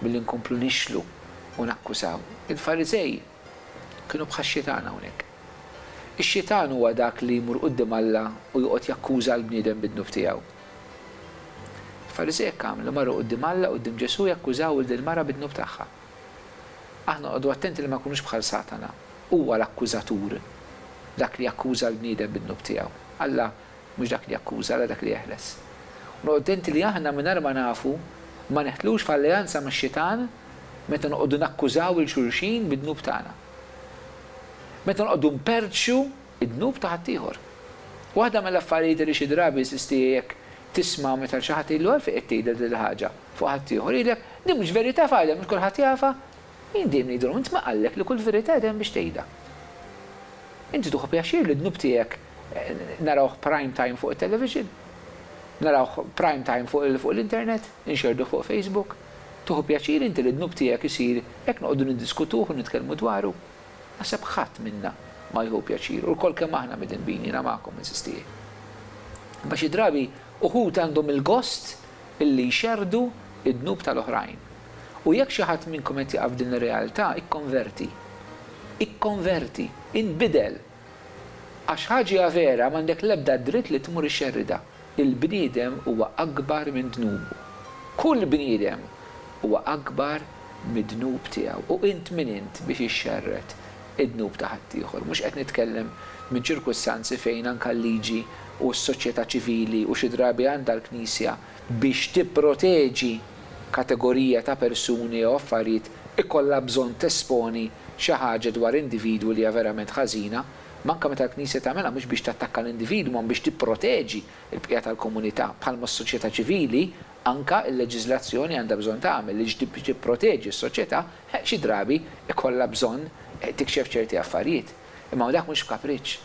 [SPEAKER 4] milli nkomplu nixlu u nakkusaw. Il-Fariżej kienu bħax-xitan hawnhekk. Ix-xitan huwa dak li jmur quddiem Alla u joqgħod jakkuża l-bniedem bid-dnub tiegħu. Il-Fariżej hekk għamlu, marru quddiem Alla, quddiem Ġesù jakkużaw 'il dil-mara bid-dnub tagħha. Aħna noqogħdu attenti li ma nkunux bħal Satana. Huwa l-akkużatur, dak li jakkuża l-bniedem bid-dnub tiegħu. Alla mhux dak li jakkuża, Alla dak li jeħles. U noqogħdu attenti li aħna mingħajr ma nafu ma neħtlux f'alleanza max-xitan meta noqogħdu nakkużaw 'il xulxin bid-dnub tagħna. Meta noqogħdu nperrċu d-dnub ta' ħaddieħor. Waħda mill-affarijiet li xi drabi jeżisti jekk tisma' meta xi ħadd jgħidlu għalfejn qed tgħidha din il-ħaġa fuq ħaddieħor, jgħidlek, din mhux verità f'għalja, mhux kulħadd jafha. Jien dejjem ngħidilhom, int min qallek li kull verità qed hemm biex tgħidha? Inti tieħu pjaċir li d-dnub tiegħek narawh prime time fuq it-television? Narawh prime time fuq l-internet? Inxerrduh fuq Facebook? Tieħu pjaċir inti li d-dnub tiegħek isir hekk noqogħdu niddiskutuh u nitkellmu dwaru? Naħseb ħadd minna ma jieħu pjaċir, u lkoll kemm aħna midinbin, jiena magħkom, għeżież tiegħi. Imma xi drabi uħud għandhom il-gost illi jxerrdu d-dnub tal-oħrajn. U jekk xi ħadd minnkom qed jaqa' f'din ir-realtà, ikkonverti. Ikkonverti. Inbidel. Għax ħaġa hija vera, m'għandek l-ebda dritt li tmur ixxerridha. Il-bniedem huwa akbar minn dnubu. Kull bniedem huwa akbar mid-dnub tiegħu. U int min int biex ixxerred id-dnub ta' ħaddieħor? Mhux qed nitkellem minn ċirkustanzi fejn anke l-liġi u s-soċjetà ċivili u xi drabi għandha l-Knisja biex tipproteġi kategorija ta' persuni jew affarijiet ikollha bżonn tesponi xi ħaġa dwar individwu li hija verament ħażina, imma anke meta l-Knisja tagħmilha mhux biex tattakka l-individwu imma biex tipproteġi l-bqija tal-komunità, bħalma s-soċjetà ċivili anke l-leġiżlazzjoni għandha bżonn tagħmel li biex tipproteġi s-soċjetà xi drabi jkollha bżonn tikxef ċerti affarijiet. Imma dak mhux b'kapriċċ.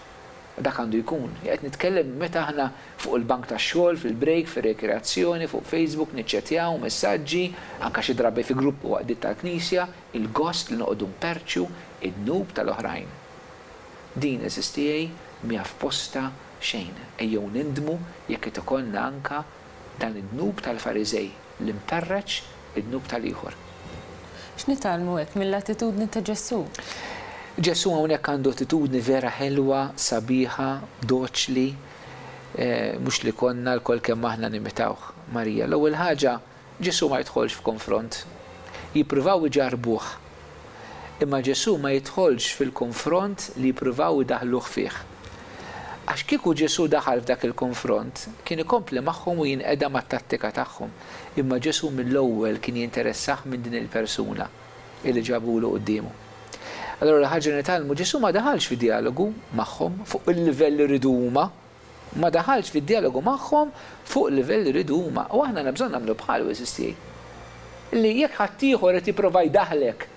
[SPEAKER 4] Dak għandu jkun. Qed nitkellem meta aħna fuq il-bank tax-xogħol, fil-break, fir-rikreazzjoni, fuq Facebook, niċċettjaw messaġġi, anke xi drabi fi grupp u għaqdiet tal-Knisja, il-gost li noqogħdu nperrċu d-dnub tal-oħrajn. Din, għeżież tiegħi, mhiha f'postha xejn. Ejjew nindmu jekk qed ikollna anke dan id-dnub tal-Fariżej li nperreċ id-dnub tal-ieħor.
[SPEAKER 3] X'nitgħallmu hekk mill-attitudni ta' Ġesù?
[SPEAKER 4] Ġesù hawnhekk għandu attitudni vera ħelwa, sabiħa, doċli, mhux li konna lkoll kemm aħna nimitawh. Marija, l-ewwel ħaġa, Ġesù ma jidħolx f'konfront. Jippruvaw iġarrbuh. Imma Ġesù ma jidħolx fil-konfront li jippruvaw idaħħluh fih. Għax kieku Ġesù daħal f'dak il-konfront, kien ikompli magħhom u jinqeda mat-tattika tagħhom. Imma Ġesù mill-ewwel kien jinteressah minn din il-persuna illi ġabulu quddiemu. Allura l-ħaġa li nitgħallmu, Ġesù ma daħalx fi djalogu magħhom fuq il-livell li riedu huma. Ma daħalx fi djalogu magħhom fuq il-livell li riedu huma. U aħna għandna bżonn nagħmlu bħalu, għeżież tiegħi. Li jekk ħaddieħor qed jipprova jdaħħlek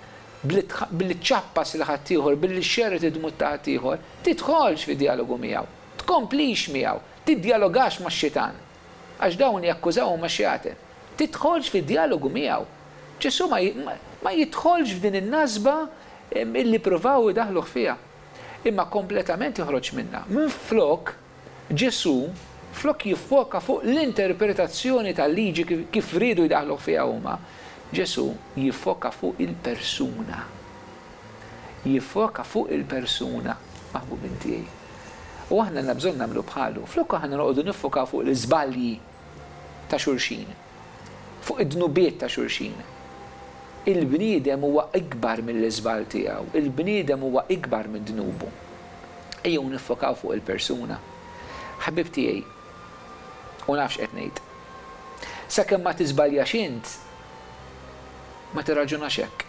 [SPEAKER 4] billi ċċappas lil ħaddieħor, billi xxerred id-dmugħ ta' ħaddieħor, tidħolx fi djalogu miegħu. Tkomplix miegħu. Tiddjalogax max-xitan. Għax dawn li jakkużaw huma xjaten. Tidħolx fi djalogu miegħu. Ġesù ma ma jidħolx f'din in-nasba illi ppruvaw idaħħluh fiha. Imma kompletament joħroġ minnha. Minflok, Ġesù, flok jiffoka fuq l-interpretazzjoni tal-liġi kif riedu jdaħħluh fiha huma, Ġesù jiffoka fuq il-persuna. Jiffoka fuq il-persuna, maħbubin tiegħi. U aħna għandna bżonn nagħmlu bħalu. Flok aħna noqogħdu niffokaw fuq l-iżbalji ta' xulxin, fuq id-dnubiet ta' xulxin. Il-bniedem huwa ikbar mill-iżball tiegħu, il-bniedem huwa ikbar minn dnubu. Ejjew niffokaw fuq il-persuna. Ħbieb tiegħi, u naf x'qed ngħid. Sakemm ma tiżbaljax int, ma tirraġunax hekk.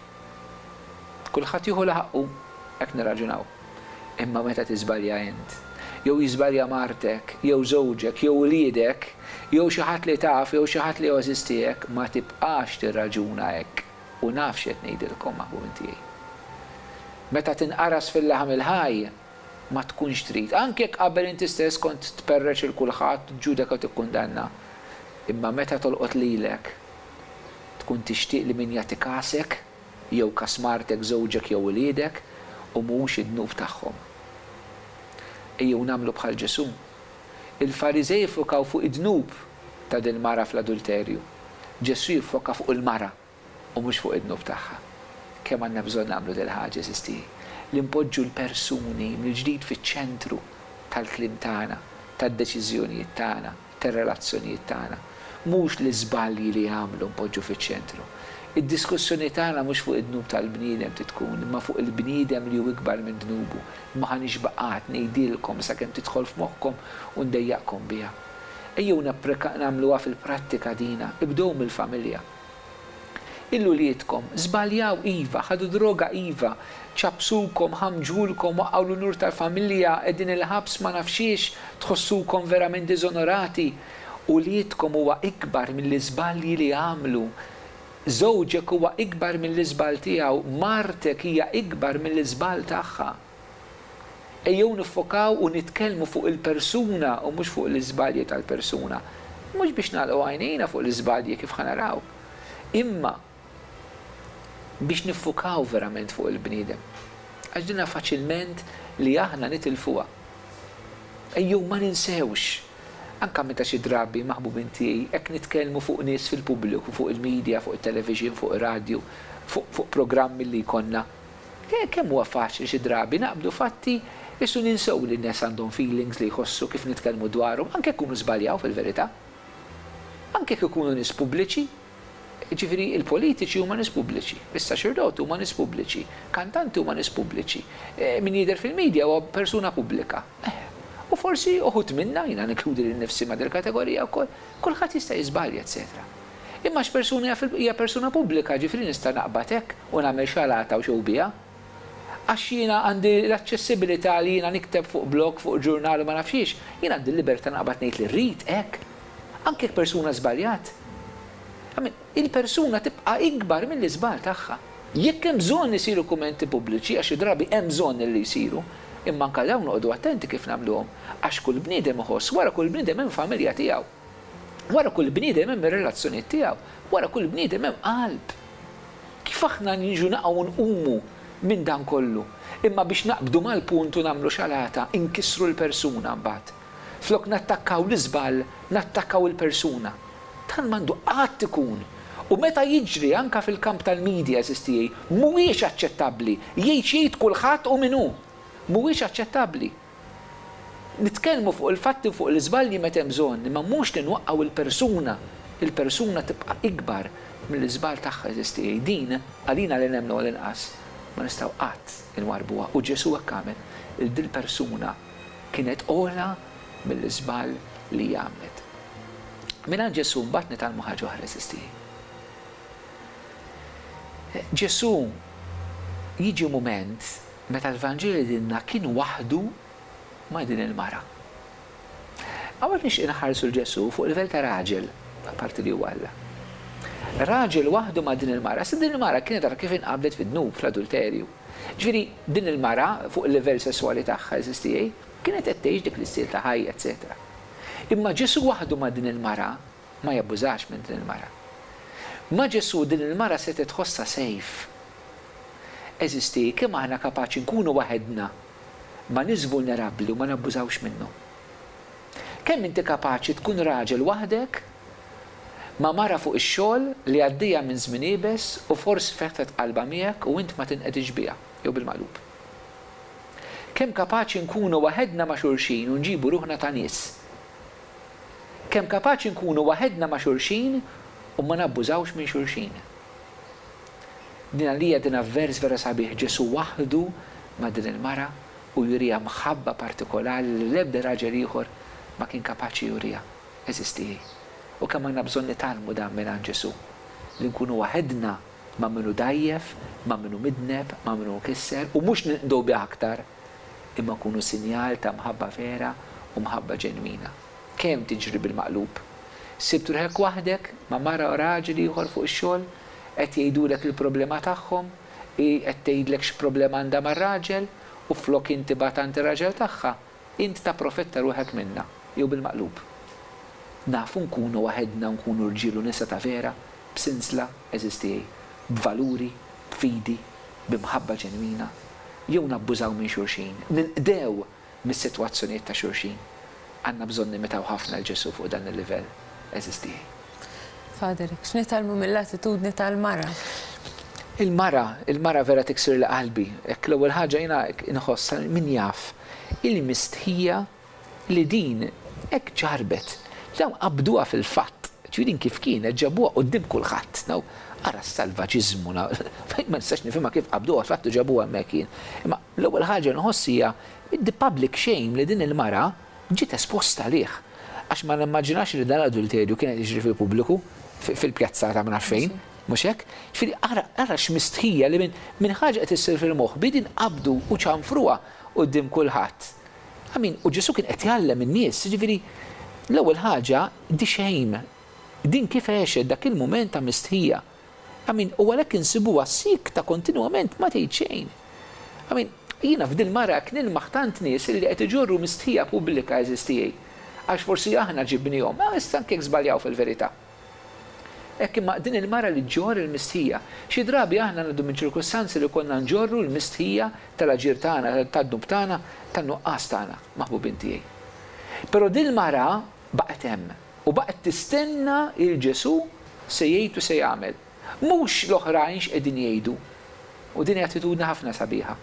[SPEAKER 4] Kulħadd jieħu li ħaqqu, hekk nirraġunaw. Imma meta tiżbalja int, jew jiżbalja martek, jew żewġek, jew uliedek, jew xi ħadd li taf, jew xi ħadd li hu għeżież tiegħek, ma tibqax tirraġuna hekk. U naf x'qed ngħidilkom, maħbubin tiegħi. Meta tinqaras fil-laħam il-ħaj, ma tkunx trid. Anke jekk qabel inti stess kont tperreċ 'il kulħadd, tiġġudeka u tikkundanna. Imma meta tolqot lilek, tkun tixtieq li min jagħti kasek, jew kas martek, żewġek jew uliedek, u mhux id-dnub tagħhom. Ejjew nagħmlu bħal Ġesù. Il-Fariżej iffukaw fuq id-dnub ta' dil-mara fl-adulterju. Ġesù jiffoka fuq il-mara u mhux fuq id-dnub tagħha. Kemm għandna bżonn nagħmlu dil-ħaġa, għeżież tiegħi, li npoġġu l-persuni mill-ġdid fiċ-ċentru tal-kliem tagħna, tad-deċiżjonijiet tagħna, tar-relazzjonijiet tagħna. Mhux l-iżbalji li jagħmlu npoġġu fiċ-ċentru. Id-diskussjoni tagħna mhux fuq id-dnub tal-bniedem trid tkun, imma fuq il-bniedem li hu ikbar minn dnubu. Ma ħa nixba' qatt ngħidilkom sakemm tidħol f'moħħkom u ndejjaqkom biha. Ejjew nagħmluha fil-prattika dina, ibdew mill-familja. 'il uliedkom, żbaljaw iva, ħadu droga iva, ċappsukom, ħammġulkom, waqqgħu l-unur tal-familja, qegħdin il-ħabs ma nafx xiex, tħossukom verament diżonorati. Uliedkom huwa ikbar mill-iżbalji li għamlu. Żewġek huwa ikbar mill-iżball tiegħu, martek hija ikbar mill-iżball tagħha. Ejjew niffokaw u nitkellmu fuq il-persuna u mhux fuq l-iżbalji tal-persuna. Mhux biex nagħlqu għajnejna fuq l-iżbalji kif ħa naraw, imma biex niffukaw verament fuq il-bniedem. Għax dinha faċilment li aħna nitilfuha. Ejjew ma ninsewx, anke meta xi drabi, maħbubin tiegħi, hekk nitkellmu fuq nies fil-pubbliku, fuq il-media, fuq it-television, fuq ir-radju, fuq fuq programmi li jkollna, Kemm huwa faċli xi drabi naqbdu fatti qisu ninsew li n-nies għandhom feelings li jħossu kif nitkellmu dwarhom anke jekk ikunu żbaljaw fil-verità. Anke jekk ikunu nies pubbliċi. Jiġifieri il-politiċi huma nies pubbliċi, is-saċerdoti huma nies pubbliċi, kantanti huma nies pubbliċi, min jidher fil-media huwa persuna pubblika. U forsi uħud minna, jiena ninkludi lili nnifsi ma' dil-kategorija wkoll, kulħadd jista' jiżbalja etcetera. Imma għax persuna hija persuna pubblika, ġifieri nista' naqbad hekk u nagħmel xalata u show biha? Għax jiena għandi l-aċċessibilità li jiena nikteb fuq blog, fuq ġurnal u ma nafx xiex, jien għandi l-libertà naqbad ngħid li rrid hekk? Anke jekk persuna żbaljat? I mean, il-persuna tibqa' ikbar mill-iżball tagħha. Jekk hemm bżonn isiru kummenti pubbliċi, għax xi drabi hemm bżonn li jsiru, imma anke dawn noqogħdu attenti kif nagħmluhom, għax kull bniedem iħoss, wara kull bniedem hemm familja tiegħu. Wara kull bniedem hemm ir-relazzjonijiet tiegħu. Wara kull bniedem hemm qalb. Kif aħna niġu naqgħu u nqumu minn dan kollu? Imma biex naqbdu mal-punt u nagħmlu xalata, inkissru l-persuna mbagħad. Flok nattakkaw l-iżball, nattakkaw il-persuna. Dan m'għandu qatt ikun. U meta jiġri anke fil-kamp tal-media, għeżież tiegħi, mhuwiex aċċettabbli. Jgħid x'jgħid kulħadd u min hu. Mhuwiex aċċettabbli. Nitkellmu fuq il-fatti u fuq l-iżbalji meta hemm bżonn, imma mhux li nwaqqgħu l-persuna. Il-persuna tibqa' ikbar mill-iżball tagħha, għeżież tiegħi. Din, għalina li nemmnu għall-inqas, ma nistgħu qatt inwarrbuha. U Ġesù hekk għamel. Il dil-persuna kienet ogħla mill-iżball li hija għamlet. Mingħand Ġesù mbagħad nitgħallmu ħaġa oħra, għeżież tiegħi. Ġesù jiġi mument Meta l-Vanġelu jgħidilna kien waħdu ma' din il-mara. Hawnhekk nixtieq inħarsu 'l Ġesù fuq livell ta' raġel, apparti li huwa Alla. Raġel waħdu ma' din il-mara. Issa din il-mara kienet għadha kif inqabdet fid-dnub, fl-adulterju. Ġifieri din il-mara fuq il-livell sesswali tagħha, għeżież tiegħi, kienet qed tgħix dik l-istil ta' ħajja, eċċetera. Imma Ġesù waħdu ma' din il-mara ma jabbużax minn din il-mara. Ma' Ġesù din il-mara setgħet tħossha safe. Għeżież tiegħi, kemm aħna kapaċi nkunu waħedna ma' nies vulnerabbli u ma nabbużawx minnhom? Kemm inti kapaċi tkun raġel waħdek ma' mara fuq ix-xogħol li għaddejja minn żmien iebes u forsi fetħet qalbha miegħek u int ma tinqedix biha, jew bil-maqlub? Kemm kapaċi nkunu waħedna ma' xulxin u nġibu ruħna ta' nies? Kemm kapaċi nkunu waħedna ma' xulxin u ma nabbużawx minn xulxin? Din għalija din avvers vera sabiħ, Ġesù waħdu ma' din il-mara u juriha mħabba partikolari li l-ebda raġel ieħor ma kien kapaċi juriha. Għeżież tiegħi, U kemm għandna bżonn nitgħallmu dan mingħand Ġesù, li nkunu waħedna ma' min hu dgħajjef, ma' min hu midneb, ma' min hu mkisser, u mhux ninqdew bih aktar, imma nkunu sinjal ta' mħabba vera u mħabba ġenwina. Kemm tiġri bil-maqlub! Sibt ruħek waħdek ma' mara u raġel ieħor fuq ix-xogħol, qed jgħidulek il-problema tagħhom, hi qed tgħidlek x'problema għandha mar-raġel, u flok int tibgħat għand ir-raġel tagħha, int tapprofetta ruħek minnha, jew bil-maqlub. Nafu nkunu waħedna u nkunu rġiel u nisa ta' vera, b'sinsla, għeżież tiegħi, b'valuri, b'fidi, b'imħabba ġenwina, jew nabbużaw minn xulxin, ninqdew mis-sitwazzjonijiet ta' xulxin. Għandna bżonn nimitaw ħafna 'l Ġesù fuq dan il-livell, għeżież tiegħi.
[SPEAKER 3] Father, x'nitgħallmu mill-attitudni tal-mara?
[SPEAKER 4] Il-mara, il-mara vera tiksirli qalbi. Hekk l-ewwel ħaġa jiena inħoss, min jaf, il-mistħija li din hekk ġarrbet. Dawn qabduha fil-fatt. Ġifieri din kif kienet ġabuha quddiem kulħadd. Now, ara s-salvaġiżmu, ma nistax nifhimha kif qabduha fil-fatt u ġabuha hemmhekk jien. Imma l-ewwel ħaġa li nħoss hija the public shame li din il-mara ġiet esposta għalih. Għax ma nimmaġinax li dan l-adulterju kien qed jiġri fil-pubbliku, fil-pjazza ta' ma nafx fejn, mhux hekk? Ġifieri ara ara x'mistħija li minn minn ħaġa qed issir fil-moħbi din qabdu u ċanfruha quddiem kulħadd. I mean, u Ġesù kien qed jgħallem in-nies, jiġifieri l-ewwel ħaġa the shame. Din kif għexet dak il-mument ta' mistħija. I mean, u għalhekk insibuha siekta kontinwament ma tgħid xejn. I mean, jiena f'dil-mara hekk nilmaħ tant nies illi qed iġorru mistħija pubblika għeżież tiegħi. Għax forsi aħna ġibnihom, ah issa anke jekk żbaljaw fil-verità. Hekk imma din il-mara li ġġorr il-mistħija. Xi drabi aħna ngħaddu minn ċirkustanzi li jkollna nġorru l-mistħija tal-aġir tagħna, tad-dnub tagħna, tan-nuqqas tagħna, maħbubin tiegħi. Però dil-mara baqgħet hemm u baqgħet tistenna 'l Ġesù se jgħid u se jagħmel. Mhux l-oħrajn x'qegħdin jgħidu. U din hi attitudni ħafna sabiħa.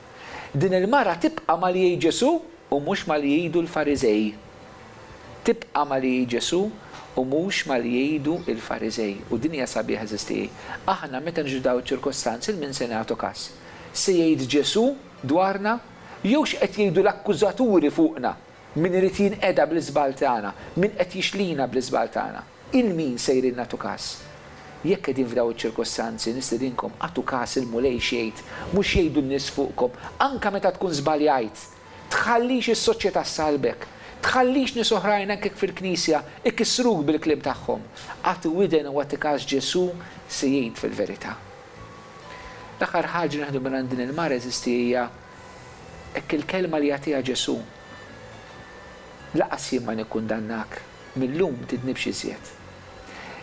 [SPEAKER 4] Din il-mara tibqa' ma' li jgħid Ġesù u mhux ma' li jgħidu l-Fariżej. Tibqa' ma' li jgħid Ġesù u mhux ma' li jgħidu l-Fariżej. U din hija sabiħa għeżież tiegħi. Aħna meta niġu f'dawn iċ-ċirkostanzi 'l min se nagħtu kas? Se jgħid Ġesù dwarna? Jew x'qed jgħidu l-akkużaturi fuqna? Min irid jinqeda bl-iżball tagħna? Min qed jixlina bl-iżball tagħna? 'Il min sejrin nagħtu kas? Jekk qegħdin f'dawn iċ-ċirkostanzi, nistedinkom agħtu kas il-Mulej x'jgħid, mhux x'jgħidu n-nies fuqkom, anke meta tkun żbaljajt. Tħallix is-soċjetà ssallbek. Tħallix nies oħrajn anke jekk fil-knisja ikissruk bil-kliem tagħhom. Agħti widen u agħti kas Ġesù se jgħid fil-verità. L-aħħar ħaġa li nieħdu mingħand din il-mara għeżiżti hija hekk il-kelma li jagħtiha Ġesù, Laqas jien ma nikkundannak, mil-lum tidnibx iżjed.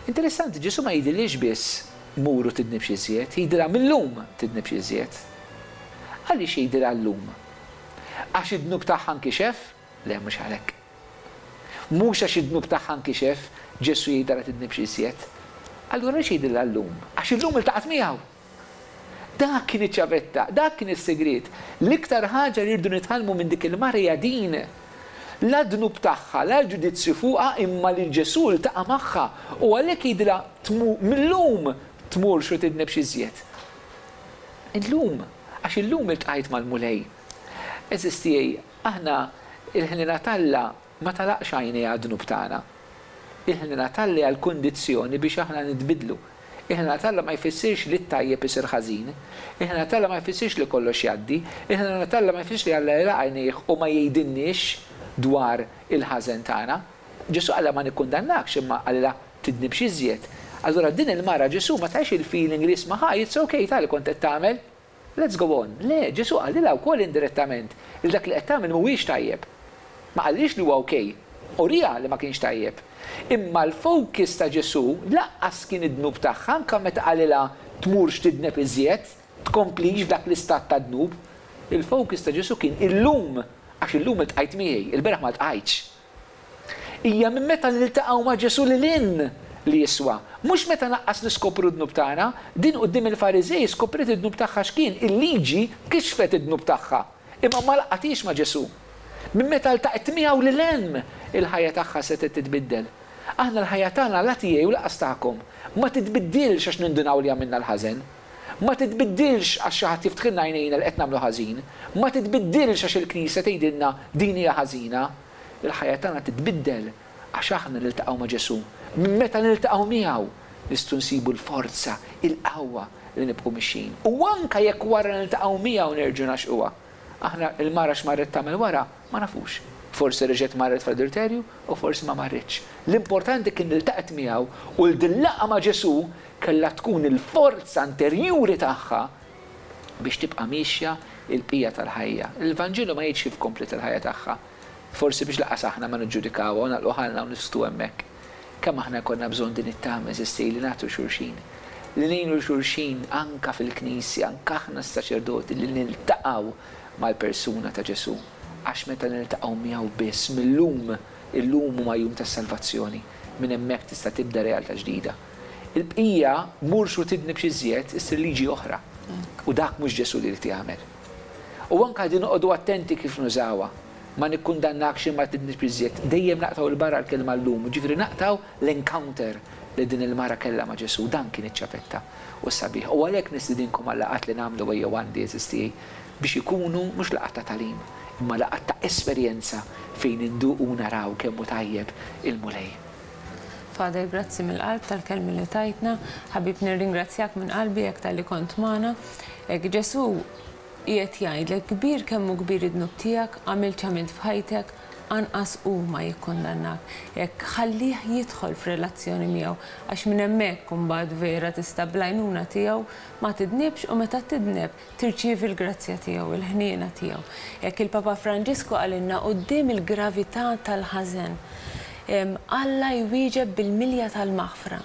[SPEAKER 4] Interessanti, Ġesù ma jgħidilhiex biss mur u tidnibx iżjed, jgħidilha mil-lum tidnibx iżjed. Għaliex jgħidilha llum? Għax id-dnub tagħha nkixef? Le, mhux għalhekk. Mhux għax id-dnub tagħha nkixef, Ġesù jgħidilha la tidnibx iżjed. Allura għaliex jgħidilha llum? Għax illum iltaqgħet miegħu! Dak kien iċ-ċavetta, dak kien is-sigriet. L-iktar ħaġa li rridu nitgħallmu minn dik il-mara hija din, la d-dnub tagħha, la l-ġudizzju fuqha, imma li Ġesù ltaqa' magħha u għalhekk jgħidilha mil-lum tmurx u tidnibx iżjed. Illum, għax illum iltqajt mal-Mulej. Għeżież tiegħi, aħna il-ħniena t'Alla ma tagħlaqx għajnejha għad-dnub tagħna. Il-ħniena t'Alla hija l-kundizzjoni biex aħna nitbiddlu. Il-ħniena t'Alla ma jfissirx li t-tajjeb isir ħażin. Il-ħniena t'Alla ma jfissirx li kollox jgħaddi. Il-ħniena t'Alla ma jfissirx li Alla jagħlaq għajnejh u ma jgħidilniex dwar il-ħażen tagħna. Ġesù qalilha ma nikkundannakx imma qalilha tidnibx iżjed. Allura din il-mara Ġesù ma tahiex il-feeling li isma' ħa it's ok ta' li kont qed tagħmel. Let's go on. Le, Ġesù qalilha wkoll indirettament li dak li qed tagħmel mhuwiex tajjeb. Ma qallhiex li huwa ok. Uriha li ma kienx tajjeb. Imma l-focus ta' Ġesù lanqas kien id-dnub tagħha anke meta qalilha tmurx tidneb iżjed, tkomplix f'dak l-istat ta' dnub. Il-focus ta' Ġesù kien illum, għax illum iltqajt miegħi, ilbieraħ ma ltqajtx. Hija minn meta niltaqgħu ma' Ġesù lil hinn li jiswa. Mhux meta naqqas niskopru d-dnub tagħna. Din quddiem il-Fariżej skopriet id-dnub tagħha x'kien, il-liġi kixfet id-dnub tagħha. Imma ma laqgħethiex ma' Ġesù. Minn meta ltaqgħet miegħu lil hemm, il-ħajja tagħha setgħet titbiddel. Aħna l-ħajja tagħna la tiegħi u lanqas tagħkom, ma titbiddilx għax nindunaw li għamilna l-ħażen. Ma titbiddilx għax xi ħadd jiftħilna għajnejna li qed nagħmlu ħażin. Ma titbiddilx għax il-Knisja tgħidilna din hija ħażina. Il-ħajja tagħna titbiddel għax aħna niltaqgħu ma' Ġesù. Minn meta niltaqgħu miegħu nistgħu nsibu l-forza, il-qawwa li nibqgħu mixjin. U anke jekk wara niltaqgħu miegħu nerġgħu ngħaxquha. Aħna l-mara x'marret tagħmel wara ma nafux. Forsi reġgħet marret fl-adulterju u forsi ma marritx. L-importanti kien li ltaqgħet miegħu u li din laqgħa ma' Ġesù kellha tkun il-forza interjuri tagħha biex tibqa' miexja l-bqija tal-ħajja. Il-Vanġelu ma jgħidx kif kompliet il-ħajja tagħha. Forsi biex lanqas aħna ma niġġudikawha u nagħlqu ħalqna u nisktu hemmhekk. Kemm aħna jkollna bżonn din it-tama, għeżież tiegħi, li nagħtu xulxin. Li ngħinu 'l xulxin anke fil-Knisja, anke aħna s-saċerdoti li niltaqgħu mal-persuna ta' Ġesù. Għax meta niltaqgħu miegħu biss, mil-lum, illum huma jum tas-salvazzjoni, minn hemmhekk tista' tibda realtà ġdida. Il-bqija, murx u tidnibx iżjed, issir liġi oħra. U dak mhux Ġesù li jrid jagħmel. U anke din noqogħdu attenti kif nużawha. Ma nikkundannakx imma tidnibx iżjed. Dejjem naqtgħu 'l barra l-kelma llum, jiġifieri naqtgħu l-encounter li din il-mara kellha ma' Ġesù. Dan kien iċ-ċavetta u s-sabiħ. U għalhekk nistidinkom għal-laqgħat li nagħmlu ejjew għandi għeżież tiegħi biex ikunu mhux laqgħat ta' tagħlim, imma laqgħat ta' esperjenza fejn induqu u naraw kemm hu tajjeb il-Mulej.
[SPEAKER 3] Father grazzi mill-qalb tal-kelmi li tajtna. Ħabib nirringrazzjak minn qalbi hekk talli kont magħna. Hekk Ġesù qiegħed jgħidlek kbir kemm hu kbir id-dnub tiegħek, għamilt x'għamilt f'ħajtek, anqas hu ma jikkundannak. Hekk ħallih jidħol f'relazzjoni miegħu għax minn hemmhekk imbagħad vera tista' bl-għajnuna tiegħu ma tidnibx u meta tidneb tirċievi l-grazzja tiegħu, il-ħniena tiegħu. Hekk il-Papa Franġisku qalilna quddiem il-gravità tal-ħażen, Alla jwieġeb bil-milja tal-maħfra.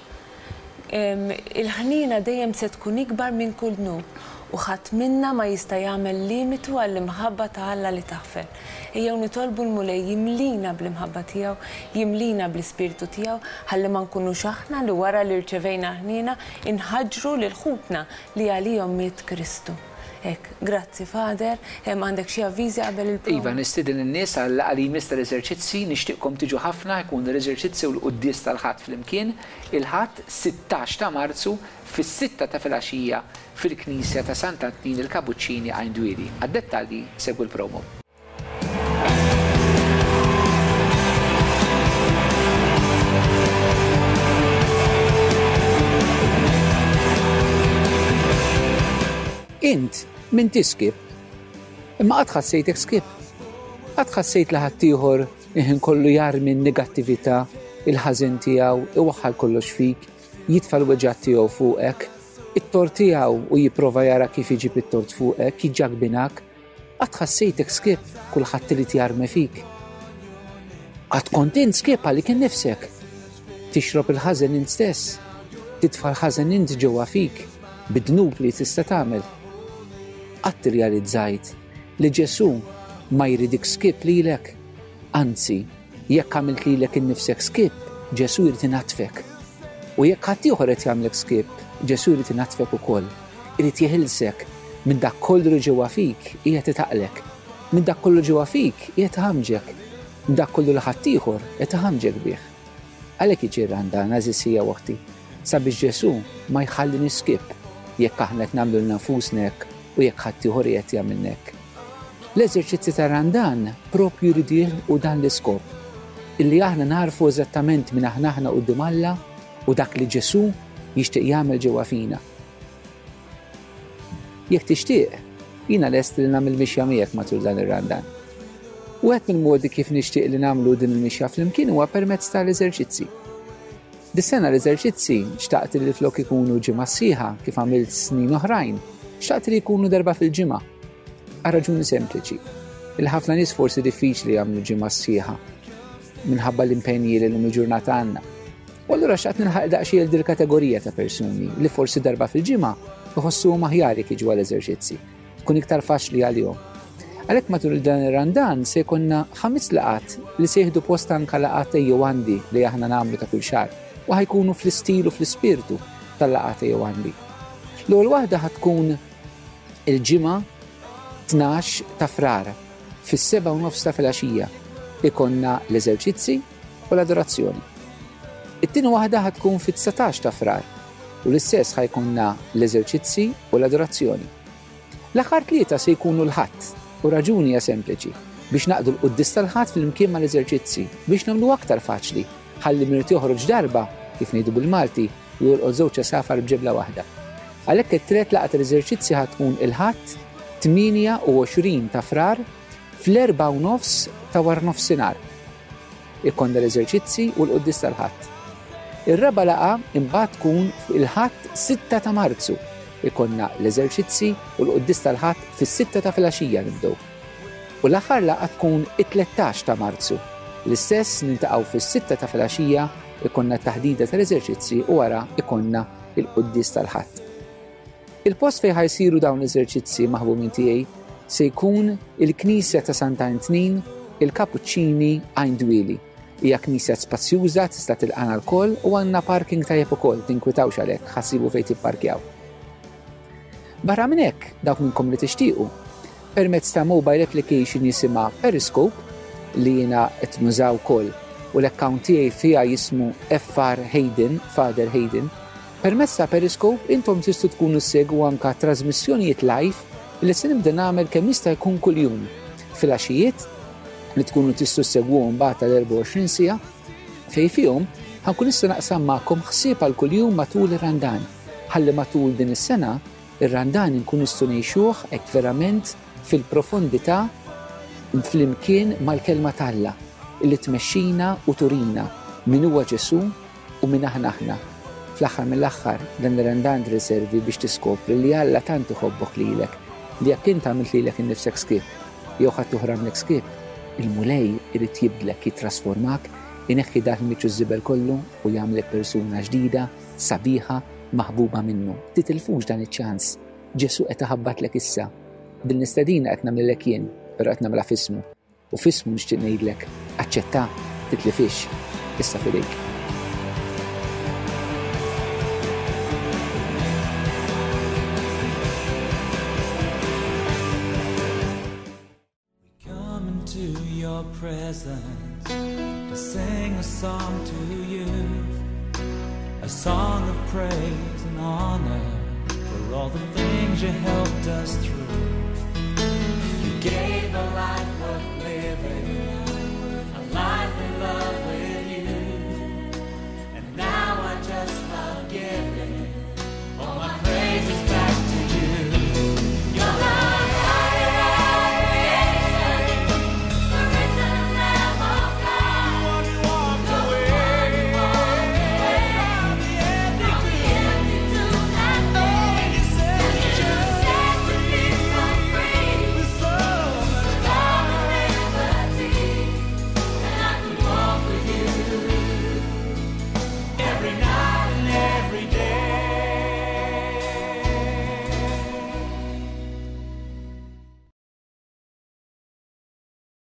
[SPEAKER 3] Il-ħniena dejjem se tkun ikbar minn kull dnub u ħadd minna ma jista' jagħmel limitu għall-imħabba ta' Alla li taħfer. Ejjew nitolbu l-Mulej jimlina bl-imħabba tiegħu, jimlina bl-Ispirtu tiegħu, ħalli ma nkunux aħna li wara li rċevejna l-ħniena inħaġġru lil ħutna Li għalihom miet Kristu. Hekk. Grazzi, Father. Hemm għandek xi avviżi qabel il-prova?
[SPEAKER 4] Iva, nistieden lin-nies għal-laqgħa li jmiss tal-eżerċizzi. Nixtieqkom tiġu ħafna, ikunu l-eżerċizzi u l-quddies tal-Ħadd flimkien, il-Ħadd 16 ta' Marzu fis-sitta ta' filgħaxija fil-Knisja ta' Sant'Antnin il-Kabuċċini Għajn Dwieli. Għad-dettalji segwu l-promo.
[SPEAKER 5] Int m'intix skip. Imma qatt ħassejtek skip? Qatt ħassejt li ħaddieħor il-ħin kollu jarmi n-negattività, il-ħażin tiegħu, iwaħħal kollox fik, jitfa' l-weġgħat tiegħu fuqek, it-tort tiegħu u jipprova jara kif iġib it-tort fuqek, jiġġagbinak? Qatt ħassejtek skip kulħadd irid jarmi fik? Qatt kont int skip għalik innifsek? Tixrob il-ħażen int stess? Titfa' l-ħażen int ġewwa fik bid-dnub li tista' tagħmel? Qatt irrealizzajt li Ġesù ma jridik skip lilek? Anzi, jekk għamilt lilek innifsek skip, Ġesù jrid inaddfek. U jekk ħaddieħor qed jagħmlek skip, Ġesù jrid inaddfek ukoll. Irid jeħilsek minn dak kollu li ġewwa fik qiegħed itaqlek, minn dak kollu ġewwa fik qiegħed iħammġek, minn dak kollu li ħaddieħor qed iħammġek bih. Għalhekk jiġi r-Randan, għeżież ħija u oħti, sabiex Ġesù ma jħalliniex skip jekk aħna qed nagħmlu lilna nfusna hekk u jekk ħaddieħor qiegħed jagħmilna hekk. L-eżerċizzji tar-Randan proprju jridu jilħqu dan l-iskop, illi aħna nagħrfu eżattament min aħna aħna quddiem Alla u dak li Ġesù jixtieq jagħmel ġewwa fina. Jekk tixtieq, jiena lest li nagħmel mixja miegħek matul dan ir-Randan. Wieħed mill-modi kif nixtieq li nagħmlu din il-mixja flimkien huwa permezz tal-eżerċizzi. Dis-sena l-eżerċizzi xtaqt li flok ikunu ġimgħa sħiħa kif għamilt snin oħrajn, xtaqt li jkunu darba fil-ġimgħa. Għal raġuni sempliċi. Il-ħafna nies forsi diffiċli jagħmlu ġimgħa sħiħa minħabba l-impenji li l-lum il-ġurnata għandna. U allura xtaqt nilħaq daqsxejn il kategorija ta' persuni li forsi darba fil-ġimgħa iħossuhom aħjar jekk jiġu għall-eżerċizzi. Tkun iktar faċli għalihom. Għalhekk matul dan ir-Randan se jkollna ħames laqgħat li se jieħdu post anka laqgħat ejjew għandi li aħna nagħmlu ta' kull xahar u ħajkunu fl-istil u fl-ispirtu tal-laqgħat ejjew għandi. L-ewwel waħda ħa tkun il-Ġimgħa 12 ta' Frar fis-sebgħa u nofs ta' filgħaxija ikollna l-eżerċizzi u l-adorazzjoni. It-tieni waħda ħa tkun fit-19 ta' Frar u l-istess ħa jkollna l-eżerċizzi u l-adorazzjoni. L-aħħar tlieta se jkunu l-Ħadd u raġuni hija sempliċi, biex naqdu l-quddies tal-Ħadd flimkien mal-eżerċizzi biex nagħmlu aktar faċli ħalli min irid joħroġ darba Kif ngħidu bil-Malti, jolqot żewġ għasafar b'ġebla waħda. Għalhekk it-tret laqgħa tal-eżerċizzi ħa tkun il-Ħadd 28 ta' Frar fl-erbgħa u nofs ta' waranofsinhar. Ikollna l-eżerċizzi u l-quddies tal-Ħadd. Ir-raba' laqgħa imbagħad tkun il-Ħadd 6 ta' Marzu. Ikollna l-eżerċizzi u l-quddies tal-Ħadd fis-sitta ta' filgħaxija nibdew. U l-aħħar laqgħa tkun it-13 ta' Marzu. L-istess niltaqgħu fis-sitta ta' filgħaxija ikollna t-taħdida tal-eżerċizzi u wara ikollna il-quddies tal-Ħadd. Il-post fejn ħa jsiru dawn l-eżerċizzi maħbumin tiegħi se jkun il-Knisja ta' Santa Antnin, il-Kapuċċini Għajn Dwieli. Hija knisja spazjuża, tista' tilqana lkoll u għandna parking tajjeb ukoll, tinkwitawx għalhekk, ħa ssibu fejn tipparkjaw. Barra minn hekk, dawk minnkom li tixtiequ, permezz ta' mobile application jisimha Periscope li jiena qed nużaw ukoll u l-account tiegħi fiha jismu FR Hayden, Father Hayden, Permezz ta' Periscope intom tistgħu tkunu ssegwu anka trażmissjonijiet live li se nibda nagħmel kemm jista' jkun kuljum filgħaxijiet li tkunu tistgħu ssegwuhom mbagħad tal-24 siegħa fejn fihom ħa nkun nista' naqsam magħkom ħsieb għal kuljum matul ir-Randan ħalli matul din is-sena ir-Randan inkun nistgħu ngħixuh hekk verament fil-profondità flimkien mal-Kelma t'Alla li tmexxina u turina min huwa Ġesù U min aħna aħna? Fl-aħħar mill-aħħar, dan ir-Randan trid iservi biex tiskopri li Alla tant iħobbok lilek li jekk int għamilt lilek innifsek skip, jew ħaddieħor għamlek skip, il-Mulej irid jibdlek, jittrasformak, ineħħi dak il-miċċu żibel kollu u jagħmlek persuna ġdida, sabiħa, maħbuba minnu. Titilfux dan iċ-ċans. Ġesù qed iħabbatlek issa. Din l-istedina qed nagħmlilek jien, però qed nagħmilha f'ismu. U f'ismu nixtieq ngħidlek, aċċetta, titlifhiex, issa f'idejk.
[SPEAKER 1] Come into your presence to sing a song to you, a song of praise and honor for all the things you helped us through.